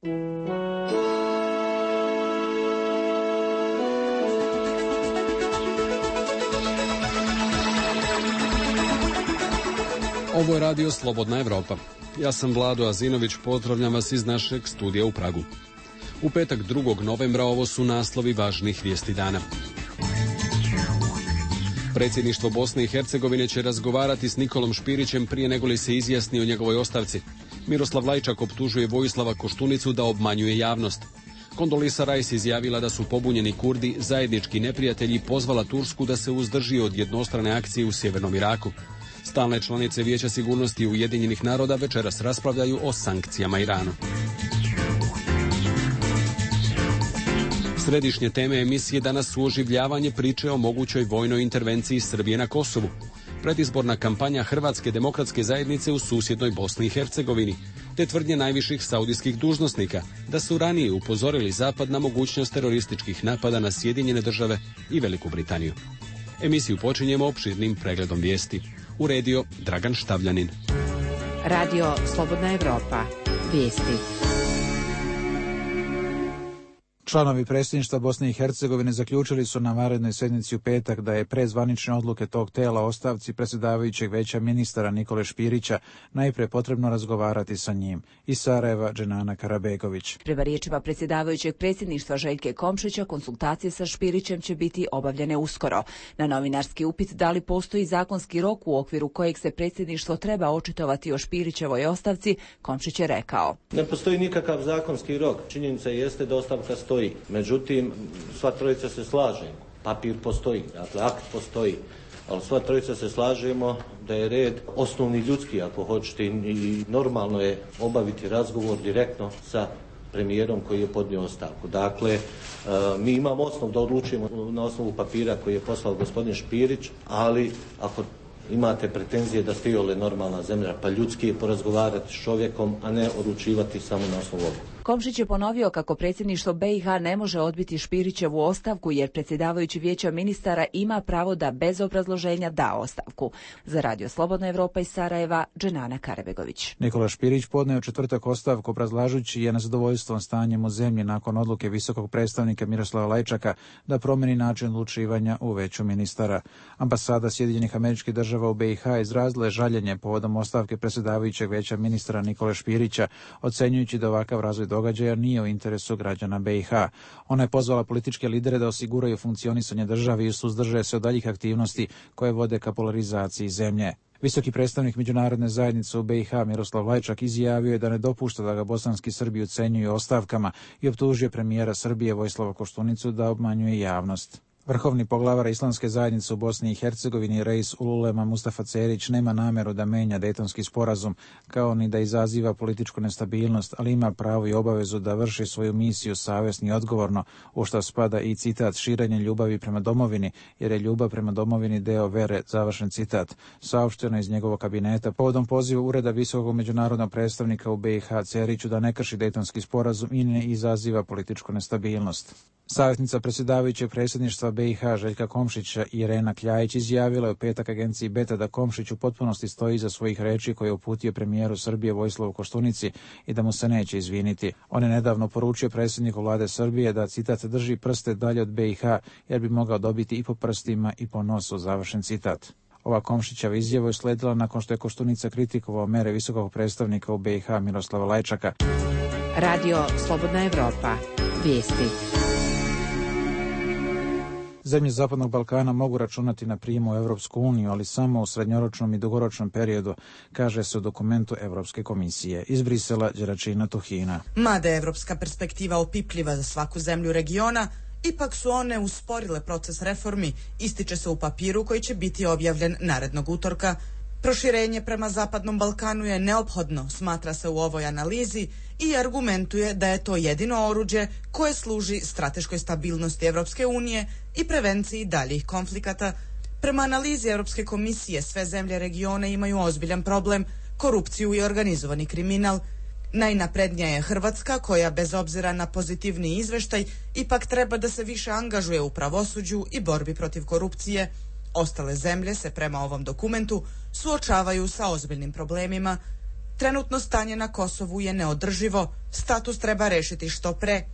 Ovo je radio Slobodna Evropa. Ja sam Vlado Azinović, pozdravljam vas iz našeg studija u Pragu. U petak 2. novembra ovo su naslovi važnih vijesti dana. Predsjedništvo Bosne i Hercegovine će razgovarati s Nikolom Špirićem prije nego li se izjasni o njegovoj ostavci. Miroslav Lajčak optužuje Vojislava Koštunicu da obmanjuje javnost. Kondolisa Rice izjavila da su pobunjeni Kurdi zajednički neprijatelji i pozvala Tursku da se uzdrži od jednostrane akcije u sjevernom Iraku. Stalne članice Vijeća sigurnosti Ujedinjenih naroda večeras raspravljaju o sankcijama Iranu. Središnje teme emisije danas su oživljavanje priče o mogućoj vojnoj intervenciji Srbije na Kosovu, predizborna kampanja Hrvatske demokratske zajednice u susjednoj Bosni i Hercegovini, te tvrdnje najviših saudijskih dužnosnika da su ranije upozorili Zapad na mogućnost terorističkih napada na Sjedinjene države i Veliku Britaniju. Emisiju počinjemo opširnim pregledom vijesti. Uredio Dragan Štavljanin. Radio Slobodna Evropa. Vijesti. Članovi predsjedništva Bosne i Hercegovine zaključili su na vanrednoj sjednici u petak da je pre zvanične odluke tog tela o ostavci predsjedavajućeg Vijeća ministara Nikole Špirića najprije potrebno razgovarati sa njim. Iz Sarajeva, Dženana Karabegović. Prema riječima predsjedavajućeg predsjedništva Željke Komšića, konsultacije sa Špirićem će biti obavljene uskoro. Na novinarski upit da li postoji zakonski rok u okviru kojeg se predsjedništvo treba očitovati o Špirićevoj ostavci, Komšić je rekao: Ne postoji nikakav zakonski rok. Činjenica jeste da ostavka stoji. Međutim, sva trojica se slaže. Papir postoji, dakle akt postoji. Ali sva trojica se slažemo da je red osnovni ljudski, ako hoćete, i normalno je obaviti razgovor direktno sa premijerom koji je podnio ostavku. Dakle, mi imamo osnov da odlučimo na osnovu papira koji je poslao gospodin Špirić, ali ako imate pretenzije da ste iole normalna zemlja, pa ljudski je porazgovarati s čovjekom, a ne odlučivati samo na osnovu ovoga. Komšić je ponovio kako predsjedništvo BiH ne može odbiti Špirićevu ostavku jer predsjedavajući Vijeća ministara ima pravo da bez obrazloženja da ostavku. Za Radio Slobodna Evropa iz Sarajeva, Dženana Karabegović. Nikola Špirić podneo četvrtak ostavku obrazlažući je nezadovoljstvom stanjem u zemlji nakon odluke visokog predstavnika Miroslava Lajčaka da promeni način odlučivanja u Vijeću ministara. Ambasada Sjedinjenih Američkih Država u BiH izrazila je žaljenje povodom ostavke predsjedavajućeg Vijeća ministara Nikole Špirića, ocenjujući da ovakav razvoj događaja nije u interesu građana BiH. Ona je pozvala političke lidere da osiguraju funkcionisanje države i suzdrže se od daljih aktivnosti koje vode ka polarizaciji zemlje. Visoki predstavnik međunarodne zajednice u BiH Miroslav Lajčak izjavio je da ne dopušta da ga bosanski Srbi ucenjuju ostavkama i optužio premijera Srbije Vojislava Koštunicu da obmanjuje javnost. Vrhovni poglavar Islamske zajednice u Bosni i Hercegovini Reis Ululema Mustafa Cerić nema nameru da menja Dejtonski sporazum, kao ni da izaziva političku nestabilnost, ali ima pravo i obavezu da vrši svoju misiju savjesno i odgovorno, u što spada i citat širenje ljubavi prema domovini, jer je ljubav prema domovini deo vere, završen citat, saopšteno iz njegovog kabineta povodom poziva Ureda visokog međunarodnog predstavnika u BiH Ceriću da ne krši Dejtonski sporazum i ne izaziva političku nestabilnost. Savjetnica predsjedavajućeg predsjedništva BiH Željka Komšića Irena Kljajić izjavila je u petak agenciji Beta da Komšić u potpunosti stoji iza svojih reči koje je uputio premijeru Srbije Vojislavu Koštunici i da mu se neće izviniti. On je nedavno poručio predsjedniku vlade Srbije da, citat, drži prste dalje od BiH jer bi mogao dobiti i po prstima i po nosu, završen citat. Ova Komšićeva izjava je sledila nakon što je Koštunica kritikovao mere visokog predstavnika u BiH Miroslava Lajčaka. Radio Slobodna Evropa. Vijesti. Zemlje Zapadnog Balkana mogu računati na prijem u Evropsku uniju, ali samo u srednjoročnom i dugoročnom periodu, kaže se u dokumentu Evropske komisije. Iz Brisela, Đeračina Tuhina. Mada je evropska perspektiva opipljiva za svaku zemlju regiona, ipak su one usporile proces reformi, ističe se u papiru koji će biti objavljen narednog utorka. Proširenje prema Zapadnom Balkanu je neophodno, smatra se u ovoj analizi, i argumentuje da je to jedino oruđe koje služi strateškoj stabilnosti Evropske unije i prevenciji daljih konflikata. Prema analizi Europske komisije, sve zemlje regiona imaju ozbiljan problem, korupciju i organizovani kriminal. Najnaprednija je Hrvatska, koja bez obzira na pozitivni izveštaj ipak treba da se više angažuje u pravosuđu i borbi protiv korupcije. Ostale zemlje se prema ovom dokumentu suočavaju sa ozbiljnim problemima. Trenutno stanje na Kosovu je neodrživo, status treba rešiti što pre.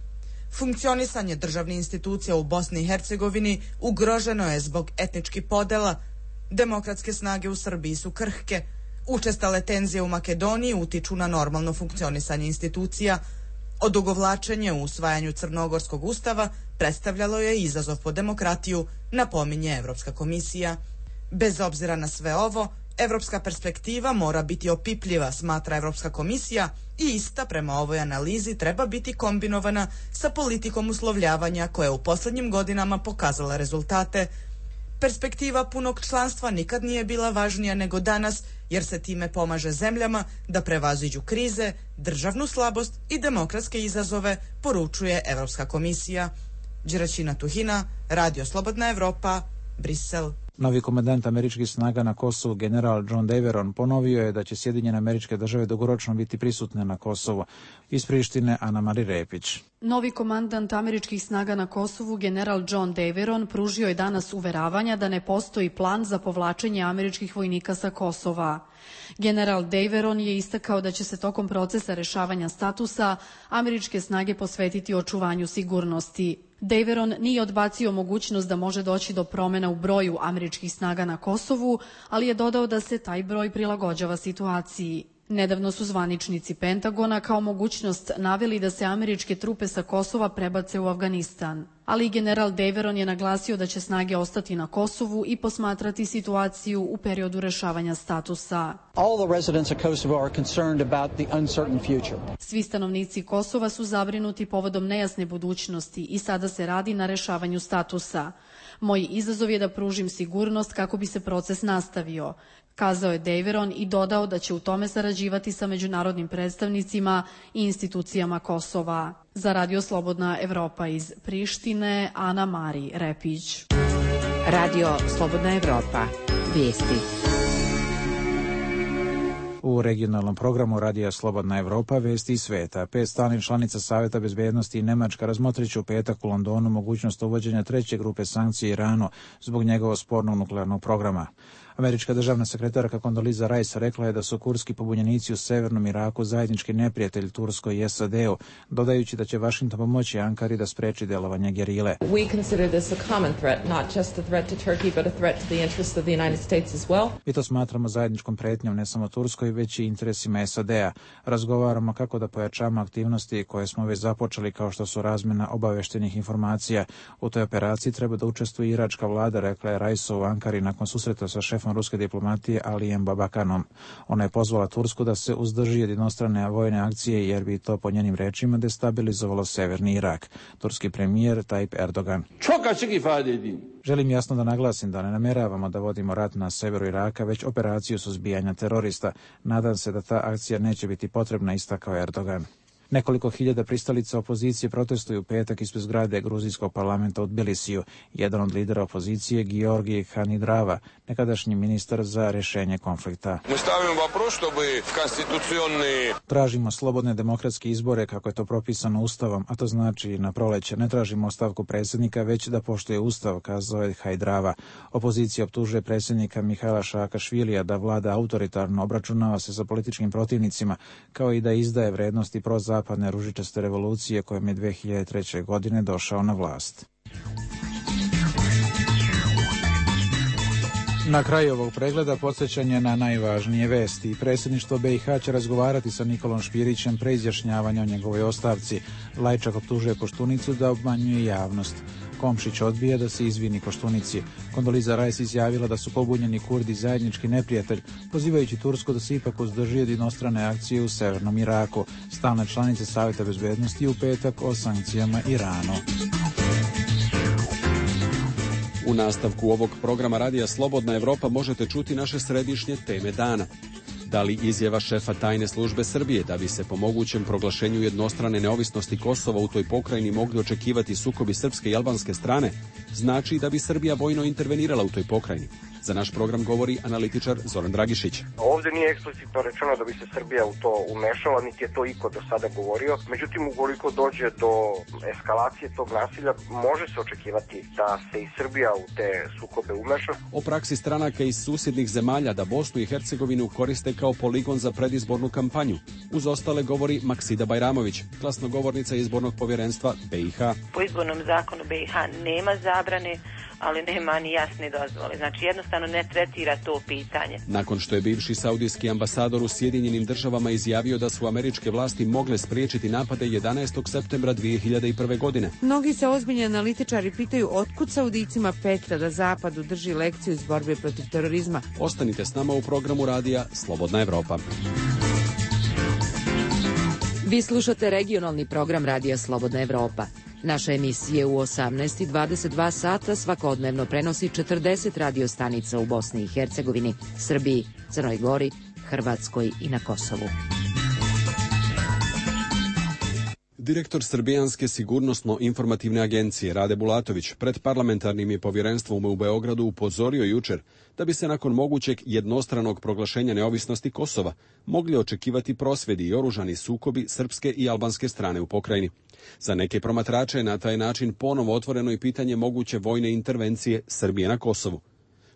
Funkcionisanje državnih institucija u Bosni i Hercegovini ugroženo je zbog etničkih podela. Demokratske snage u Srbiji su krhke. Učestale tenzije u Makedoniji utiču na normalno funkcionisanje institucija. Odugovlačenje u usvajanju Crnogorskog ustava predstavljalo je izazov po demokratiju, napominje Evropska komisija. Bez obzira na sve ovo, evropska perspektiva mora biti opipljiva, smatra Evropska komisija, i ista prema ovoj analizi treba biti kombinovana sa politikom uslovljavanja koja je u posljednjim godinama pokazala rezultate. Perspektiva punog članstva nikad nije bila važnija nego danas, jer se time pomaže zemljama da prevaziđu krize, državnu slabost i demokratske izazove, poručuje Evropska komisija. Đeraćina Tuhina, Radio Slobodna Evropa, Brisel. Novi komandant američkih snaga na Kosovu, general John Daveron, ponovio je da će Sjedinjene Američke Države dugoročno biti prisutne na Kosovu. Iz Prištine, Ana Mari Repić. Novi komandant američkih snaga na Kosovu, general John Daveron, pružio je danas uveravanja da ne postoji plan za povlačenje američkih vojnika sa Kosova. General Daveron je istakao da će se tokom procesa rešavanja statusa američke snage posvetiti očuvanju sigurnosti. Daveron nije odbacio mogućnost da može doći do promjena u broju američkih snaga na Kosovu, ali je dodao da se taj broj prilagođava situaciji. Nedavno su zvaničnici Pentagona kao mogućnost naveli da se američke trupe sa Kosova prebace u Afganistan. Ali general Daveron je naglasio da će snage ostati na Kosovu i posmatrati situaciju u periodu rešavanja statusa. Svi stanovnici Kosova su zabrinuti povodom nejasne budućnosti i sada se radi na rešavanju statusa. Moj izazov je da pružim sigurnost kako bi se proces nastavio, kazao je Daveron i dodao da će u tome sarađivati sa međunarodnim predstavnicima i institucijama Kosova. Za Radio Slobodna Evropa iz Prištine, Ana Mari Repić. Radio Slobodna Evropa. Vijesti. U regionalnom programu Radija Slobodna Evropa vesti iz sveta. 5 stalnih članica Saveta bezbednosti i Nemačka razmotrit će u petak u Londonu mogućnost uvođenja treće grupe sankcija Iranu zbog njegovog spornog nuklearnog programa. Američka državna sekretarka Condoleezza Rice rekla je da su kurdski pobunjenici u severnom Iraku zajednički neprijatelj Turskoj i SAD-u, dodajući da će Vašington pomoći Ankari da spreči delovanje gerile. Mi to smatramo zajedničkom pretnjom ne samo Turskoj, već i interesima SAD-a. Razgovaramo kako da pojačamo aktivnosti koje smo već započeli, kao što su razmjena obaveštenih informacija. U toj operaciji treba da učestvuje iračka vlada, rekla je Rice u Ankari nakon susreta sa šefom ruske diplomatije Alijem Babakanom. Ona je pozvala Tursku da se uzdrži od jednostrane vojne akcije jer bi to po njenim rečima destabilizovalo severni Irak. Turski premijer Tayyip Erdogan. Želim jasno da naglasim da ne nameravamo da vodimo rat na severu Iraka, već operaciju suzbijanja terorista. Nadam se da ta akcija neće biti potrebna, istakao Erdogan. Nekoliko hiljada pristalica opozicije protestuju u petak ispred zgrade gruzijskog parlamenta u Tbilisiju. Jedan od lidera opozicije, Georgij Hanidrava, nekadašnji ministar za rješenje konflikta. Tražimo slobodne demokratske izbore kako je to propisano Ustavom, a to znači na proleće. Ne tražimo ostavku predsjednika, već da poštuje Ustav, kazao je Hanidrava. Opozicija optužuje predsjednika Mihaila Saakašvilija da vlada autoritarno, obračunava se sa političkim protivnicima, kao i da izdaje vrednosti prozapadne ružičaste revolucije kojom je 2003. godine došao na vlast. Na kraju ovog pregleda podsjećanje na najvažnije vesti. Predsjedništvo BiH će razgovarati sa Nikolom Špirićem pre izjašnjavanja o njegovoj ostavci. Lajčak optužuje Koštunicu da obmanjuje javnost. Komšić odbija da se izvini Koštunici. Condoleezza Rice izjavila da su pobunjeni Kurdi zajednički neprijatelj, pozivajući Tursku da se ipak uzdrži od jednostrane akcije u severnom Iraku. Stalne članice Saveta bezbednosti u petak o sankcijama Iranu. U nastavku ovog programa Radija Slobodna Evropa možete čuti naše središnje teme dana. Da li izjava šefa tajne službe Srbije da bi se po mogućem proglašenju jednostrane neovisnosti Kosova u toj pokrajini mogli očekivati sukobi srpske i albanske strane, znači da bi Srbija vojno intervenirala u toj pokrajini? Za naš program govori analitičar Zoran Dragišić. Ovdje nije eksplicitno rečeno da bi se Srbija u to umešala, niti je to iko do sada govorio. Međutim, ukoliko dođe do eskalacije tog nasilja, može se očekivati da se i Srbija u te sukobe umeša. O praksi stranaka iz susjednih zemalja da Bosnu i Hercegovinu koriste kao poligon za predizbornu kampanju. Uz ostale govori Maksida Bajramović, glasnogovornica izbornog povjerenstva BiH. Po izbornom zakonu BiH nema zabrane, ali nema ni jasne dozvole. Znači jednostavno ne tretira to pitanje. Nakon što je bivši saudijski ambasador u Sjedinjenim državama izjavio da su američke vlasti mogle spriječiti napade 11. septembra 2001. godine. Mnogi se ozbiljni analitičari pitaju otkud Saudijcima petlja da Zapadu drži lekciju iz borbe protiv terorizma. Ostanite s nama u programu radija Slobodna Evropa. Vi slušate regionalni program radija Slobodna Evropa. Naše emisije u 18 i 22 sata svakodnevno prenosi 40 radiostanica u Bosni i Hercegovini, Srbiji, Crnoj Gori, Hrvatskoj i na Kosovu. Direktor Srbijanske sigurnosno-informativne agencije Rade Bulatović pred parlamentarnim je povjerenstvom u Beogradu upozorio jučer da bi se nakon mogućeg jednostranog proglašenja neovisnosti Kosova mogli očekivati prosvjedi i oružani sukobi srpske i albanske strane u pokrajini. Za neke promatrače je na taj način ponovo otvoreno i pitanje moguće vojne intervencije Srbije na Kosovu.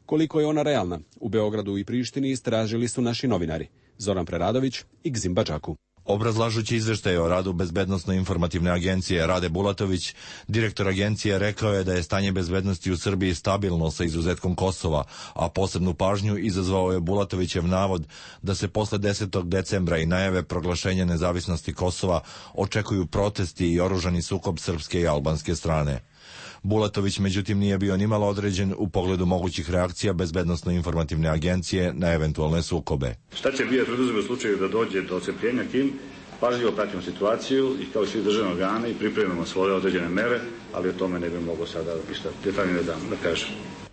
Koliko je ona realna, u Beogradu i Prištini istražili su naši novinari Zoran Preradović i Gzim Badžaku. Obrazlažući izveštaj o radu Bezbednosno-informativne agencije Rade Bulatović, direktor agencije rekao je da je stanje bezbednosti u Srbiji stabilno sa izuzetkom Kosova, a posebnu pažnju izazvao je Bulatovićev navod da se posle 10. decembra i najave proglašenja nezavisnosti Kosova očekuju protesti i oružani sukob srpske i albanske strane. Bulatović međutim nije bio nimalo određen u pogledu mogućih reakcija Bezbednosno-informativne agencije na eventualne sukobe. Šta će biti preduzeti u slučaju da dođe do ocepljenja tim? Pažljivo pratimo situaciju i kao svi državni organi pripremimo svoje određene mere, ali o tome ne bi mogao sada ništa detaljnije da kažem.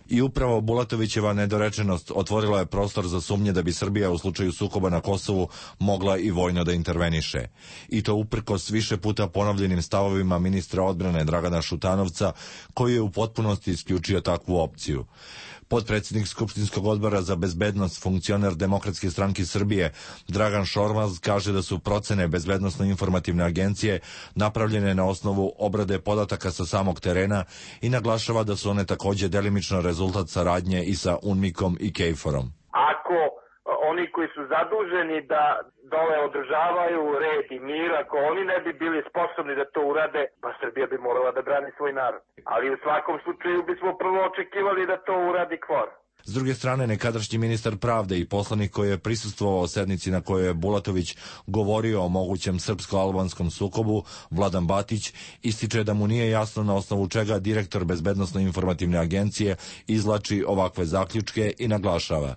I upravo Bulatovićeva nedorečenost otvorila je prostor za sumnje da bi Srbija u slučaju sukoba na Kosovu mogla i vojno da interveniše. I to uprkos više puta ponovljenim stavovima ministra odbrane Dragana Šutanovca, koji je u potpunosti isključio takvu opciju. Potpredsjednik Skupštinskog odbora za bezbednost, funkcioner Demokratske stranke Srbije, Dragan Šormaz, kaže da su procene Bezbednosno-informativne agencije napravljene na osnovu obrade podataka sa samog terena i naglašava da su one takođe delimično rezultat saradnje i sa UNMIK-om i KFOR-om. Ako oni koji su zaduženi da dole održavaju red i mir, ako oni ne bi bili sposobni da to urade, pa Srbija bi morala da brani svoj narod. Ali u svakom slučaju bismo prvo očekivali da to uradi KFOR. S druge strane, nekadašnji ministar pravde i poslanik koji je prisustvovao sednici na kojoj je Bulatović govorio o mogućem srpsko-albanskom sukobu, Vladan Batić, ističe da mu nije jasno na osnovu čega direktor Bezbednosno-informativne agencije izvlači ovakve zaključke i naglašava.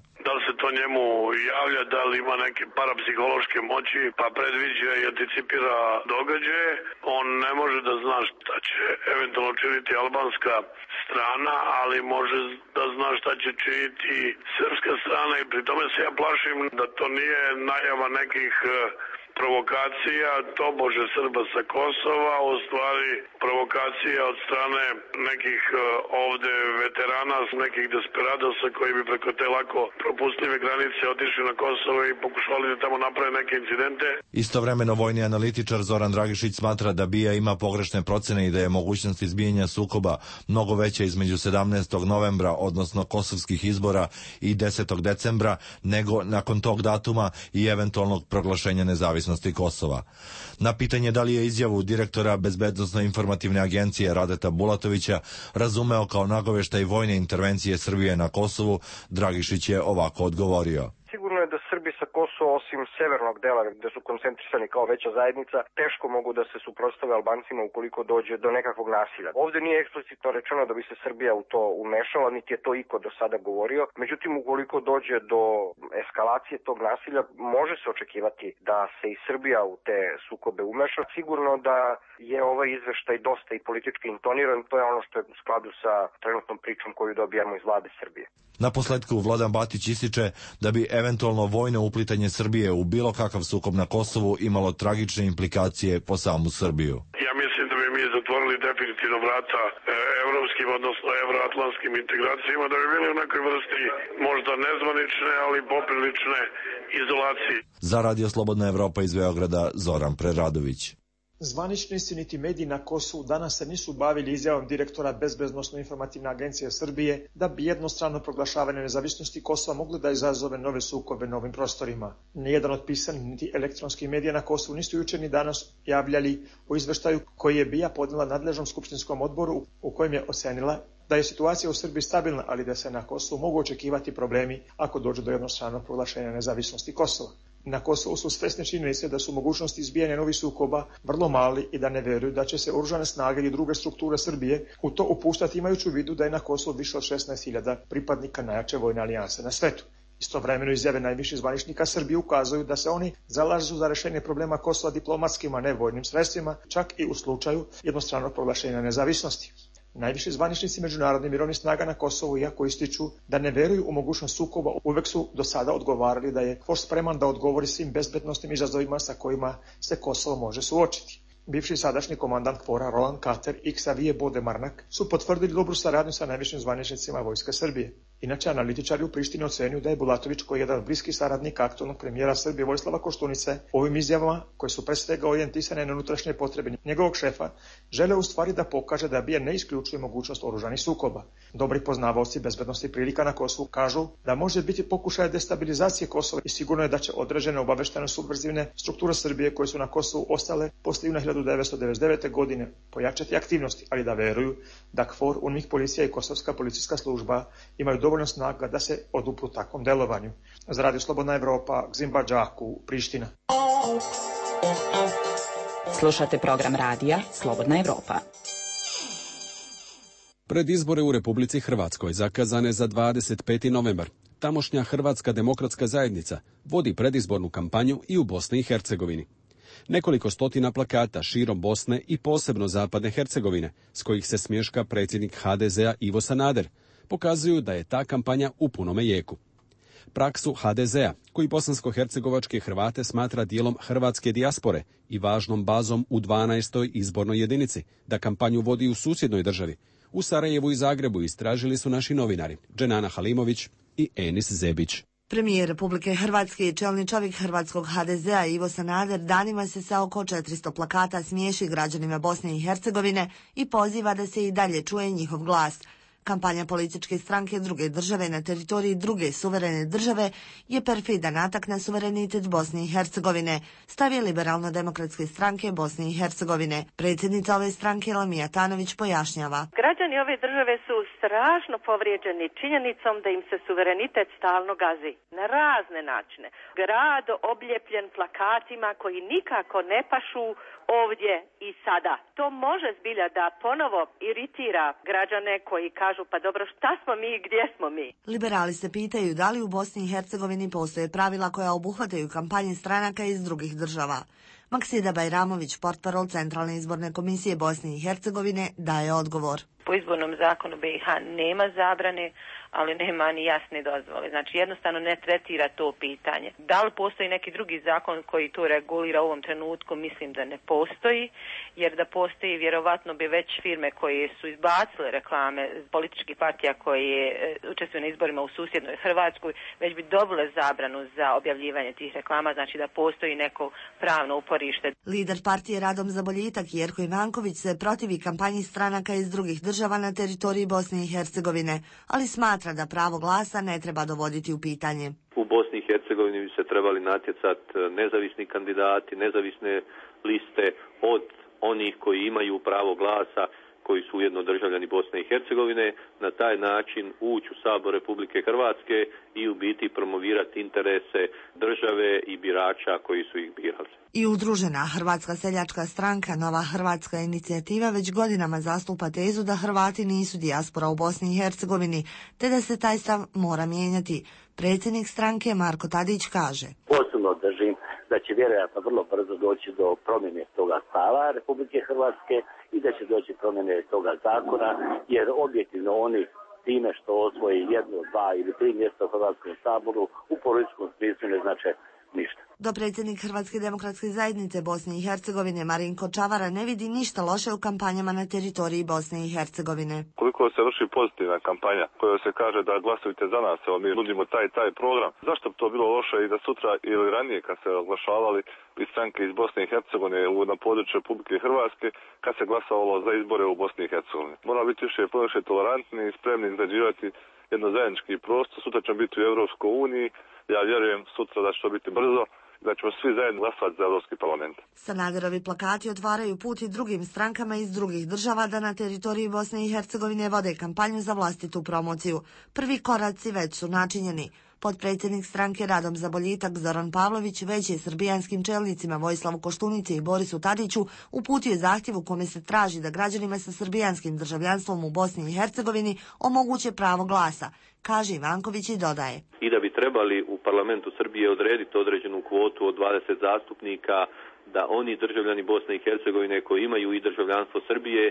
Njemu javlja da li ima neke parapsihološke moći pa predviđa i anticipira događaje. On ne može da zna šta će eventualno činiti albanska strana, ali može da zna šta će činiti srpska strana i pri tome se ja plašim da to nije najava nekih provokacija, tobože Srba sa Kosova, u stvari provokacija od strane nekih ovde veterana, nekih desperadosa koji bi preko te lako propustljive granice otišli na Kosovo i pokušali da tamo naprave neke incidente. Istovremeno vojni analitičar Zoran Dragišić smatra da BIA ima pogrešne procene i da je mogućnost izbijanja sukoba mnogo veća između 17. novembra, odnosno kosovskih izbora, i 10. decembra, nego nakon tog datuma i eventualnog proglašenja nezavisnosti Kosova. Na pitanje da li je izjavu direktora Bezbednosno-informativne agencije Radeta Bulatovića razumeo kao nagoveštaj vojne intervencije Srbije na Kosovu, Dragišić je ovako odgovorio. Sigurno je da Srbi sa Kosova, osim severnog dela gde su koncentrisani kao veća zajednica, teško mogu da se suprotstave Albancima ukoliko dođe do nekakvog nasilja. Ovde nije eksplicitno rečeno da bi se Srbija u to umešala, niti je to iko do sada govorio. Međutim, ukoliko dođe do eskalacije tog nasilja, može se očekivati da se i Srbija u te sukobe umeša. Sigurno da je ovaj izveštaj dosta i politički intoniran, to je ono što je u skladu sa trenutnom pričom koju dobijamo iz vlade Srbije. Na posledku Vladan Batić ističe da bi eventualno vojno uplitanje Srbije u bilo kakav sukob na Kosovu imalo tragične implikacije po samu Srbiju. Ja mislim da bi mi za otvorili definitivno vrata evropskim, odnosno evroatlantskim integracijama, da bi bili u nekoj vrsti možda nezvanične, ali poprilične izolacije. Za Radio Slobodna Evropa iz Beograda, Zoran Preradović. Zvaničnici niti mediji na Kosovu danas se nisu bavili izjavom direktora Bezbednosno-informativne agencije Srbije da bi jednostrano proglašavanje nezavisnosti Kosova mogli da izazove nove sukobe na ovim prostorima. Nijedan od pisanih niti elektronskih medija na Kosovu nisu jučer ni danas javljali o izveštaju koji je BIA podnela nadležnom skupštinskom odboru u kojem je ocenila da je situacija u Srbiji stabilna, ali da se na Kosovu mogu očekivati problemi ako dođe do jednostranog proglašenja nezavisnosti Kosova. Na Kosovu su svesne činjenice da su mogućnosti izbijanja novih sukoba vrlo mali i da ne veruju da će se oružane snage i druge strukture Srbije u to upuštati, imajući u vidu da je na Kosovu više od 16.000 pripadnika najjače vojne alijanse na svetu. Istovremeno izjave najviših zvaničnika Srbije ukazuju da se oni zalažu za rešenje problema Kosova diplomatskim, a ne vojnim sredstvima, čak i u slučaju jednostranog proglašenja nezavisnosti. Najviši zvaničnici međunarodnih mirovnih snaga na Kosovu, iako ističu da ne veruju u mogućnost sukoba, uvek su do sada odgovarali da je KFOR spreman da odgovori svim bezbednosnim izazovima sa kojima se Kosovo može suočiti. Bivši i sadašnji komandant KFOR-a Roland Carter i Xavier Bodemarnak su potvrdili dobru saradnju sa najvišim zvaničnicima Vojske Srbije. Inače, analitičari u Prištini ocenjuju da je Bulatović, koji je jedan od bliskih saradnika aktualnog premijera Srbije Vojislava Koštunice, ovim izjavama, koje su pre svega orijentisane na unutrašnje potrebe njegovog šefa, žele u stvari da pokaže da BIA ne isključuje mogućnost oružanih sukoba. Dobri poznavaoci bezbednosti prilika na Kosovu kažu da može biti pokušaj destabilizacije Kosova i sigurno je da će određene obaveštene subverzivne strukture Srbije koje su na Kosovu ostale posle juna 1999. godine pojačati aktivnosti, ali da veruju da KFOR, UNMIK policija i Kosovska policijska služba imaju dovoljno snaga da se odupru takvom delovanju. Za Radio Slobodna Evropa, Gzimba Džaku, Priština. Slušate program radija Slobodna Evropa. Pred izbore u Republici Hrvatskoj zakazane za 25. novembar, tamošnja Hrvatska demokratska zajednica vodi predizbornu kampanju i u Bosni i Hercegovini. Nekoliko stotina plakata širom Bosne i posebno zapadne Hercegovine, s kojih se smješka predsjednik HDZ-a Ivo Sanader, pokazuju da je ta kampanja u punome jeku. Praksu HDZ-a, koji bosansko-hercegovačke Hrvate smatra dijelom hrvatske dijaspore i važnom bazom u 12. izbornoj jedinici, da kampanju vodi u susjednoj državi, u Sarajevu i Zagrebu istražili su naši novinari Dženana Halimović i Enis Zebić. Premijer Republike Hrvatske i čelni čovjek hrvatskog HDZ-a Ivo Sanader danima se sa oko 400 plakata smiješi građanima Bosne i Hercegovine i poziva da se i dalje čuje njihov glas. Kampanja političke stranke druge države na teritoriji druge suverene države je perfidan atak na suverenitet Bosne i Hercegovine, stavi Liberalno-demokratske stranke Bosne i Hercegovine. Predsjednica ove stranke Lamija Tanović pojašnjava. Građani ove države su strašno povrijeđeni činjenicom da im se suverenitet stalno gazi na razne načine. Grad obljepljen plakatima koji nikako ne pašu ovdje i sada. To može zbilja da ponovo iritira građane koji kažu pa dobro šta smo mi i gdje smo mi. Liberali se pitaju da li u Bosni i Hercegovini postoje pravila koja obuhvataju kampanje stranaka iz drugih država. Maksida Bajramović, portparol Centralne izborne komisije Bosne i Hercegovine, daje odgovor. Po izbornom zakonu BiH nema zabrane, ali nema ni jasne dozvole. Znači jednostavno ne tretira to pitanje. Da li postoji neki drugi zakon koji to regulira u ovom trenutku? Mislim da ne postoji, jer da postoji vjerovatno bi već firme koje su izbacile reklame političkih partija koje učestvuju na izborima u susjednoj Hrvatskoj, već bi dobile zabranu za objavljivanje tih reklama, znači da postoji neko pravno uporište. Lider partije Radom za boljitak Jerko Ivanković se protivi kampanji stranaka iz drugih država na teritoriji Bosne i Hercegovine, ali smatra da pravo glasa ne treba dovoditi u pitanje. U Bosni i Hercegovini bi se trebali natjecati nezavisni kandidati, nezavisne liste od onih koji imaju pravo glasa, koji su ujedno državljani Bosne i Hercegovine, na taj način ući u Sabor Republike Hrvatske i u biti promovirati interese države i birača koji su ih birali. I udružena Hrvatska seljačka stranka Nova Hrvatska inicijativa već godinama zastupa tezu da Hrvati nisu dijaspora u Bosni i Hercegovini, te da se taj stav mora mijenjati. Predsjednik stranke Marko Tadić kaže: Osobno držim da će vjerojatno vrlo brzo doći do promjene toga stava Republike Hrvatske i da će doći promjene toga zakona, jer objektivno oni time što osvoji 1, 2 ili 3 mjesta u Hrvatskom saboru u političkom smislu ne znače ništa. Dopredsjednik Hrvatske demokratske zajednice Bosne i Hercegovine Marinko Čavara ne vidi ništa loše u kampanjama na teritoriji Bosne i Hercegovine. Koliko se vrši pozitivna kampanja koja se kaže da glasujte za nas, evo mi nudimo taj program. Zašto bi to bilo loše i da sutra ili ranije kad se oglašavali iz stranke iz Bosne i Hercegovine na području Republike Hrvatske kad se glasovalo za izbore u Bosni i Hercegovini. Moramo biti više tolerantni i spremni izgrađivati jedno zajednički prostor. Sutra ćemo biti u Europskoj uniji. Ja vjerujem sutra da će to biti brzo, da ćemo svi zajedno glasovati za Europski parlament. Sanaderovi plakati otvaraju put i drugim strankama iz drugih država da na teritoriji Bosne i Hercegovine vode kampanju za vlastitu promociju. Prvi koraci već su načinjeni. Potpredsjednik stranke Radom za boljitak Zoran Pavlović već je srbijanskim čelnicima Vojislavu Koštunici i Borisu Tadiću uputio zahtjev u kome se traži da građanima sa srbijanskim državljanstvom u Bosni i Hercegovini omoguće pravo glasa, kaže Ivanković i dodaje. I da bi trebali u parlamentu Srbije odrediti određenu kvotu od 20 zastupnika, da oni državljani Bosne i Hercegovine koji imaju i državljanstvo Srbije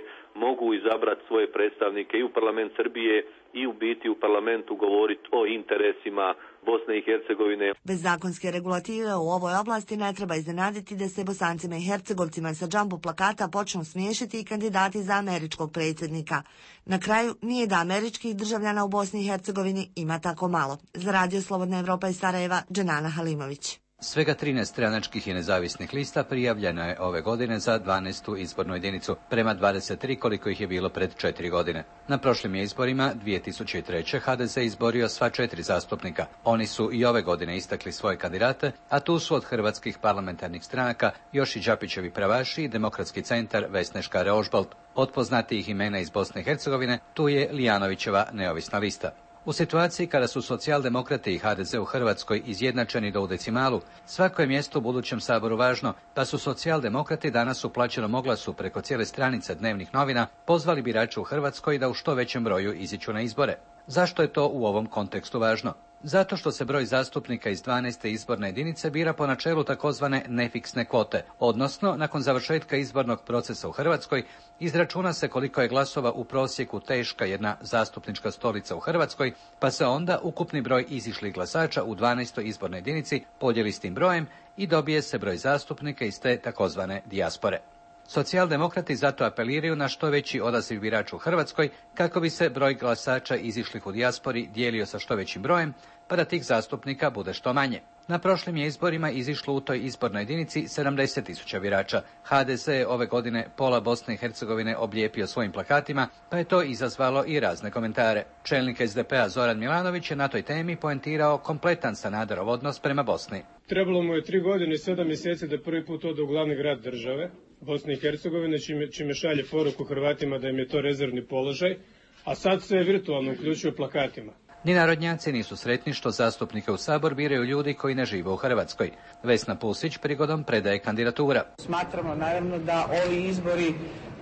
mogu izabrati svoje predstavnike i u parlament Srbije i u biti u parlamentu govoriti o interesima Bosne i Hercegovine. Bez zakonske regulative u ovoj oblasti ne treba iznenaditi da se Bosancima i Hercegovcima sa džambo plakata počnu smiješiti i kandidati za američkog predsjednika. Na kraju, nije da američkih državljana u Bosni i Hercegovini ima tako malo. Za Radio Slobodna Evropa iz Sarajeva, Dženana Halimović. Svega 13 stranačkih i nezavisnih lista prijavljeno je ove godine za 12. izbornu jedinicu, prema 23 koliko ih je bilo pred 4 godine. Na prošlim je izborima 2003. HDZ izborio sva 4 zastupnika. Oni su i ove godine istakli svoje kandidate, a tu su od hrvatskih parlamentarnih stranaka još i Đapićevi pravaši i Demokratski centar Vesne Škare-Ožbolt. Od poznatijih imena iz Bosne i Hercegovine tu je Lijanovićeva neovisna lista. U situaciji kada su socijaldemokrati i HDZ u Hrvatskoj izjednačeni do u decimalu, svako je mjesto u budućem saboru važno, pa su socijaldemokrati danas u plaćenom oglasu preko cijele stranice dnevnih novina pozvali birače u Hrvatskoj da u što većem broju iziđu na izbore. Zašto je to u ovom kontekstu važno? Zato što se broj zastupnika iz 12. izborne jedinice bira po načelu takozvane nefiksne kvote, odnosno nakon završetka izbornog procesa u Hrvatskoj izračuna se koliko je glasova u prosjeku teška jedna zastupnička stolica u Hrvatskoj, pa se onda ukupni broj izišlih glasača u 12. izbornoj jedinici podijeli s tim brojem i dobije se broj zastupnika iz te takozvane dijaspore. Socijaldemokrati zato apeliraju na što veći odaziv birača u Hrvatskoj kako bi se broj glasača izišlih u dijaspori dijelio sa što većim brojem, pa da tih zastupnika bude što manje. Na prošlim je izborima izišlo u toj izbornoj jedinici 70.000 birača. HDZ je ove godine pola Bosne i Hercegovine oblijepio svojim plakatima, pa je to izazvalo i razne komentare. Čelnik SDP-a Zoran Milanović je na toj temi poentirao kompletan Sanaderov odnos prema Bosni. Trebalo mu je 3 godine i 7 mjeseci da prvi put ode u glavni grad države, Bosne i Hercegovine, čime šalje poruku Hrvatima da im je to rezervni položaj, a sad se virtualno uključuje plakatima. Ni narodnjaci nisu sretni što zastupnike u Sabor biraju ljudi koji ne žive u Hrvatskoj. Vesna Pusić prigodom predaje kandidatura. Smatramo naravno da ovi izbori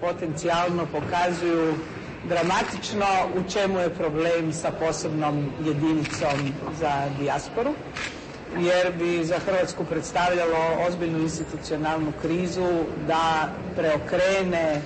potencijalno pokazuju dramatično u čemu je problem sa posebnom jedinicom za dijasporu, jer bi za Hrvatsku predstavljalo ozbiljnu institucionalnu krizu da preokrene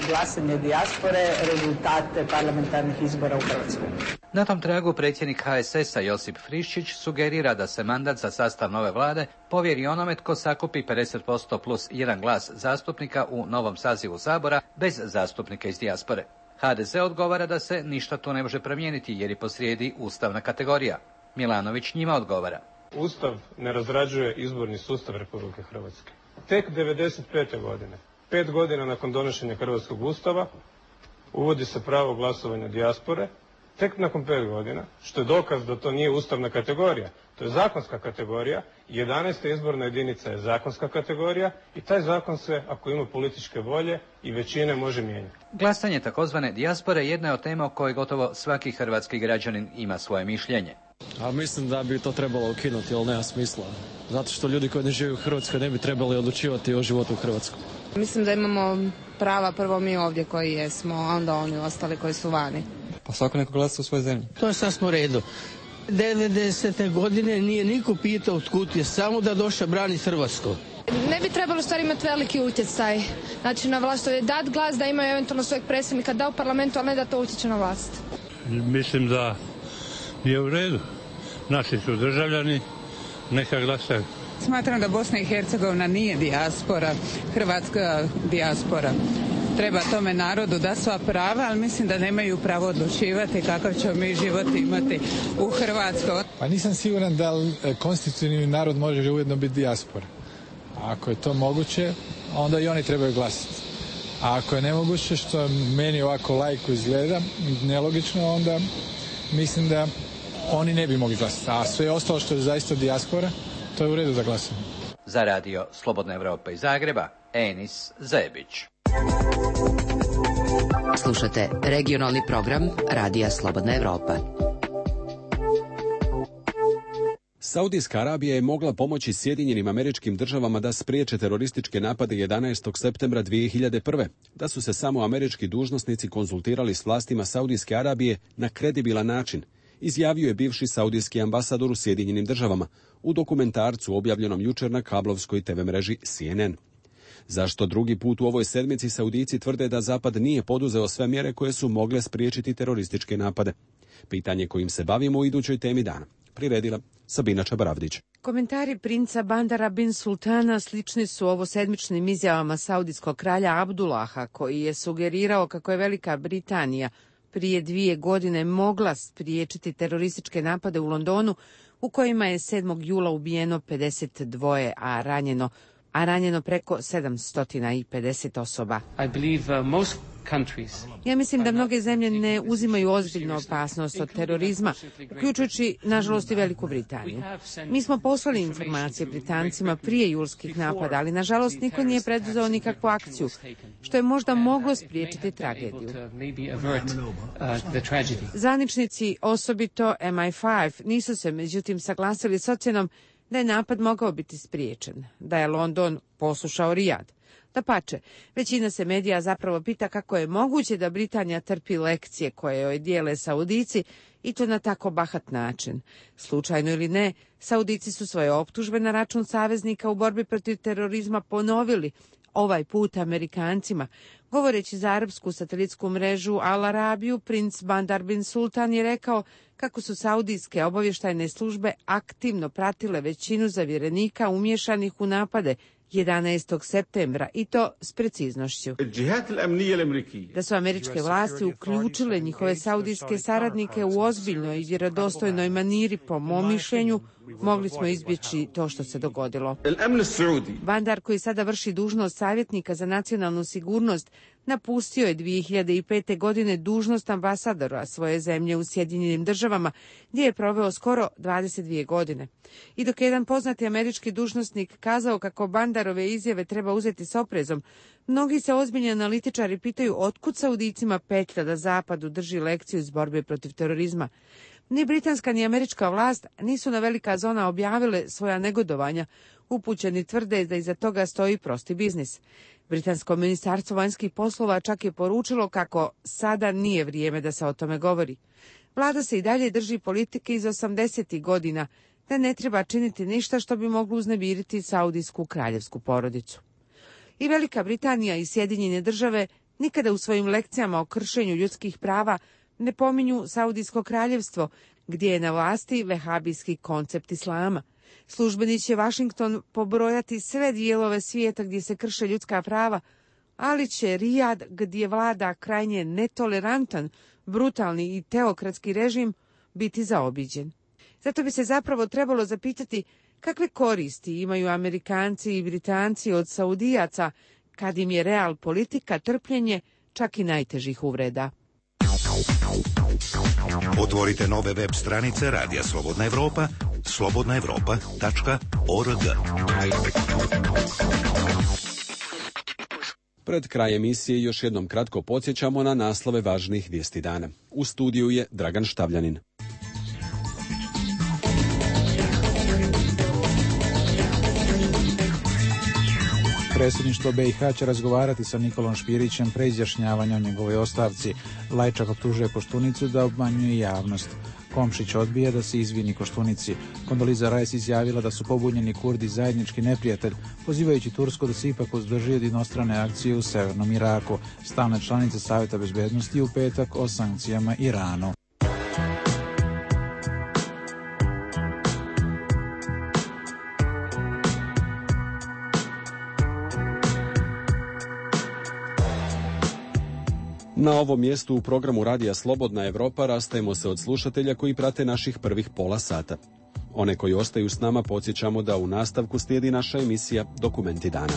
glasanje dijaspore rezultate parlamentarnih izbora u Hrvatskoj. Na tom tragu predsjednik HSS-a Josip Friščić sugerira da se mandat za sastav nove vlade povjeri onome tko sakupi 50% plus 1 glas zastupnika u novom sazivu Sabora bez zastupnika iz dijaspore. HDZ odgovara da se ništa tu ne može promijeniti jer je posrijedi ustavna kategorija. Milanović njima odgovara. Ustav ne razrađuje izborni sustav Republike Hrvatske. Tek 1995. godine, 5 godina nakon donošenja Hrvatskog ustava, uvodi se pravo glasovanja dijaspore, tek nakon 5 godina, što je dokaz da to nije ustavna kategorija, to je zakonska kategorija, 11. izborna jedinica je zakonska kategorija i taj zakon se, ako ima političke volje i većine, može mijenjati. Glasanje takozvane dijaspore jedna je od tema o kojoj gotovo svaki hrvatski građanin ima svoje mišljenje. A mislim da bi to trebalo ukinuti, ali nema smisla. Zato što ljudi koji ne žive u Hrvatskoj ne bi trebali odlučivati o životu u Hrvatskoj. Mislim da imamo prava prvo mi ovdje koji jesmo, a onda oni ostali koji su vani. Pa svako neko glasa u svojoj zemlji. To je sasvim u redu. 90. godine nije niko pitao otkud je, samo da došao brani Hrvatsku. Ne bi trebalo stvari imati veliki utjecaj. Znači na vlast je dat glas da imaju eventualno svojeg predsjednika da u parlamentu, ali ne da to utječe na vlast. Mislim da je u redu. Naši su državljani, Neka glasaju. Smatram da Bosna i Hercegovina nije dijaspora, hrvatska dijaspora. Treba tome narodu da sva prava, ali mislim da nemaju pravo odlučivati kakav ćemo mi život imati u Hrvatskoj. Pa nisam siguran da konstitutivni narod može ujedno biti dijaspora. Ako je to moguće, onda i oni trebaju glasati. A ako je nemoguće, što meni ovako laiku izgleda nelogično, onda mislim da oni ne bi mogli glasati. A sve ostalo što je zaista dijaspora, to je u redu za glasanje. Za radio Slobodna Evropa iz Zagreba, Enis Zebić. Slušate regionalni program Radija Slobodna Evropa. Saudijska Arabija je mogla pomoći Sjedinjenim Američkim Državama da spriječe terorističke napade 11. septembra 2001. Da su se samo američki dužnosnici konzultirali s vlastima Saudijske Arabije na kredibilan način, izjavio je bivši saudijski ambasador u Sjedinjenim Državama u dokumentarcu objavljenom jučer na kablovskoj TV mreži CNN. Zašto drugi put u ovoj sedmici Saudici tvrde da Zapad nije poduzeo sve mjere koje su mogle spriječiti terorističke napade? Pitanje kojim se bavimo u idućoj temi dana. Priredila Sabina Čabaravdić. Komentari princa Bandara bin Sultana slični su ovosedmičnim izjavama saudijskog kralja Abdullaha, koji je sugerirao kako je Velika Britanija prije 2 godine mogla spriječiti terorističke napade u Londonu, u kojima je 7. jula ubijeno 52, a ranjeno preko 750 osoba. Ja mislim da mnoge zemlje ne uzimaju ozbiljno opasnost od terorizma, uključujući, nažalost, i Veliku Britaniju. Mi smo poslali informacije Britancima prije julskih napada, ali, nažalost, niko nije preduzeo nikakvu akciju, što je možda moglo spriječiti tragediju. Zvaničnici, osobito MI5, nisu se, međutim, saglasili s ocjenom da je napad mogao biti spriječen, da je London poslušao Rijad. Dapače, većina se medija zapravo pita kako je moguće da Britanija trpi lekcije koje joj dijele Saudici i to na tako bahat način. Slučajno ili ne, Saudici su svoje optužbe na račun saveznika u borbi protiv terorizma ponovili, ovaj put Amerikancima. Govoreći za arapsku satelitsku mrežu Al Arabiju, princ Bandar bin Sultan je rekao kako su saudijske obavještajne službe aktivno pratile većinu zavjerenika umješanih u napade 11. septembra i to s preciznošću. Da su američke vlasti uključile njihove saudijske saradnike u ozbiljnoj i vjerodostojnoj maniri, po mom mišljenju, mogli smo izbjeći to što se dogodilo. Bandar, koji sada vrši dužnost savjetnika za nacionalnu sigurnost, napustio je 2005. godine dužnost ambasadora svoje zemlje u Sjedinjenim Državama, gdje je proveo skoro 22 godine. I dok je jedan poznati američki dužnosnik kazao kako Bandarove izjave treba uzeti s oprezom, mnogi se ozbiljni analitičari pitaju otkud Saudicima petlja da Zapadu drži lekciju iz borbe protiv terorizma. Ni britanska ni američka vlast nisu na velika zona objavile svoja negodovanja. Upućeni tvrde da iza toga stoji prosti biznis. Britansko ministarstvo vanjskih poslova čak je poručilo kako sada nije vrijeme da se o tome govori. Vlada se i dalje drži politike iz 80. godina, da ne treba činiti ništa što bi moglo uznemiriti saudijsku kraljevsku porodicu. I Velika Britanija i Sjedinjene Države nikada u svojim lekcijama o kršenju ljudskih prava ne pominju Saudijsko kraljevstvo, gdje je na vlasti vehabijski koncept islama. Službeni će Washington pobrojati sve dijelove svijeta gdje se krše ljudska prava, ali će Rijad, gdje vlada krajnje netolerantan, brutalni i teokratski režim, biti zaobiđen. Zato bi se zapravo trebalo zapitati kakve koristi imaju Amerikanci i Britanci od Saudijaca, kad im je real politika trpljenje čak i najtežih uvreda. Otvorite nove web stranice Radija Slobodna Evropa, slobodnaevropa.org. Pred kraj emisije još jednom kratko podsjećamo na naslove važnih vijesti dana. U studiju je Dragan Štavljanin. Predsjedništvo BiH će razgovarati sa Nikolom Špirićem pre izjašnjavanja o njegovoj ostavci. Lajčak optužuje Koštunicu da obmanjuje javnost. Komšić odbija da se izvini Koštunici. Kondoliza Rice izjavila da su pobunjeni Kurdi zajednički neprijatelj, pozivajući Tursku da se ipak uzdrži od inostrane akcije u severnom Iraku. Stalna članica Savjeta bezbednosti u petak o sankcijama Iranu. Na ovom mjestu u programu Radija Slobodna Evropa rastajemo se od slušatelja koji prate naših prvih pola sata. One koji ostaju s nama podsjećamo da u nastavku slijedi naša emisija Dokumenti dana.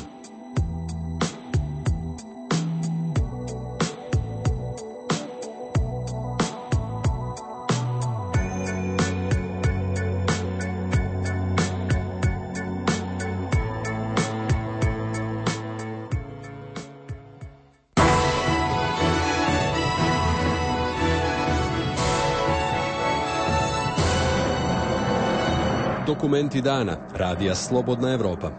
Dokumenti dana, Radija Slobodna Evropa.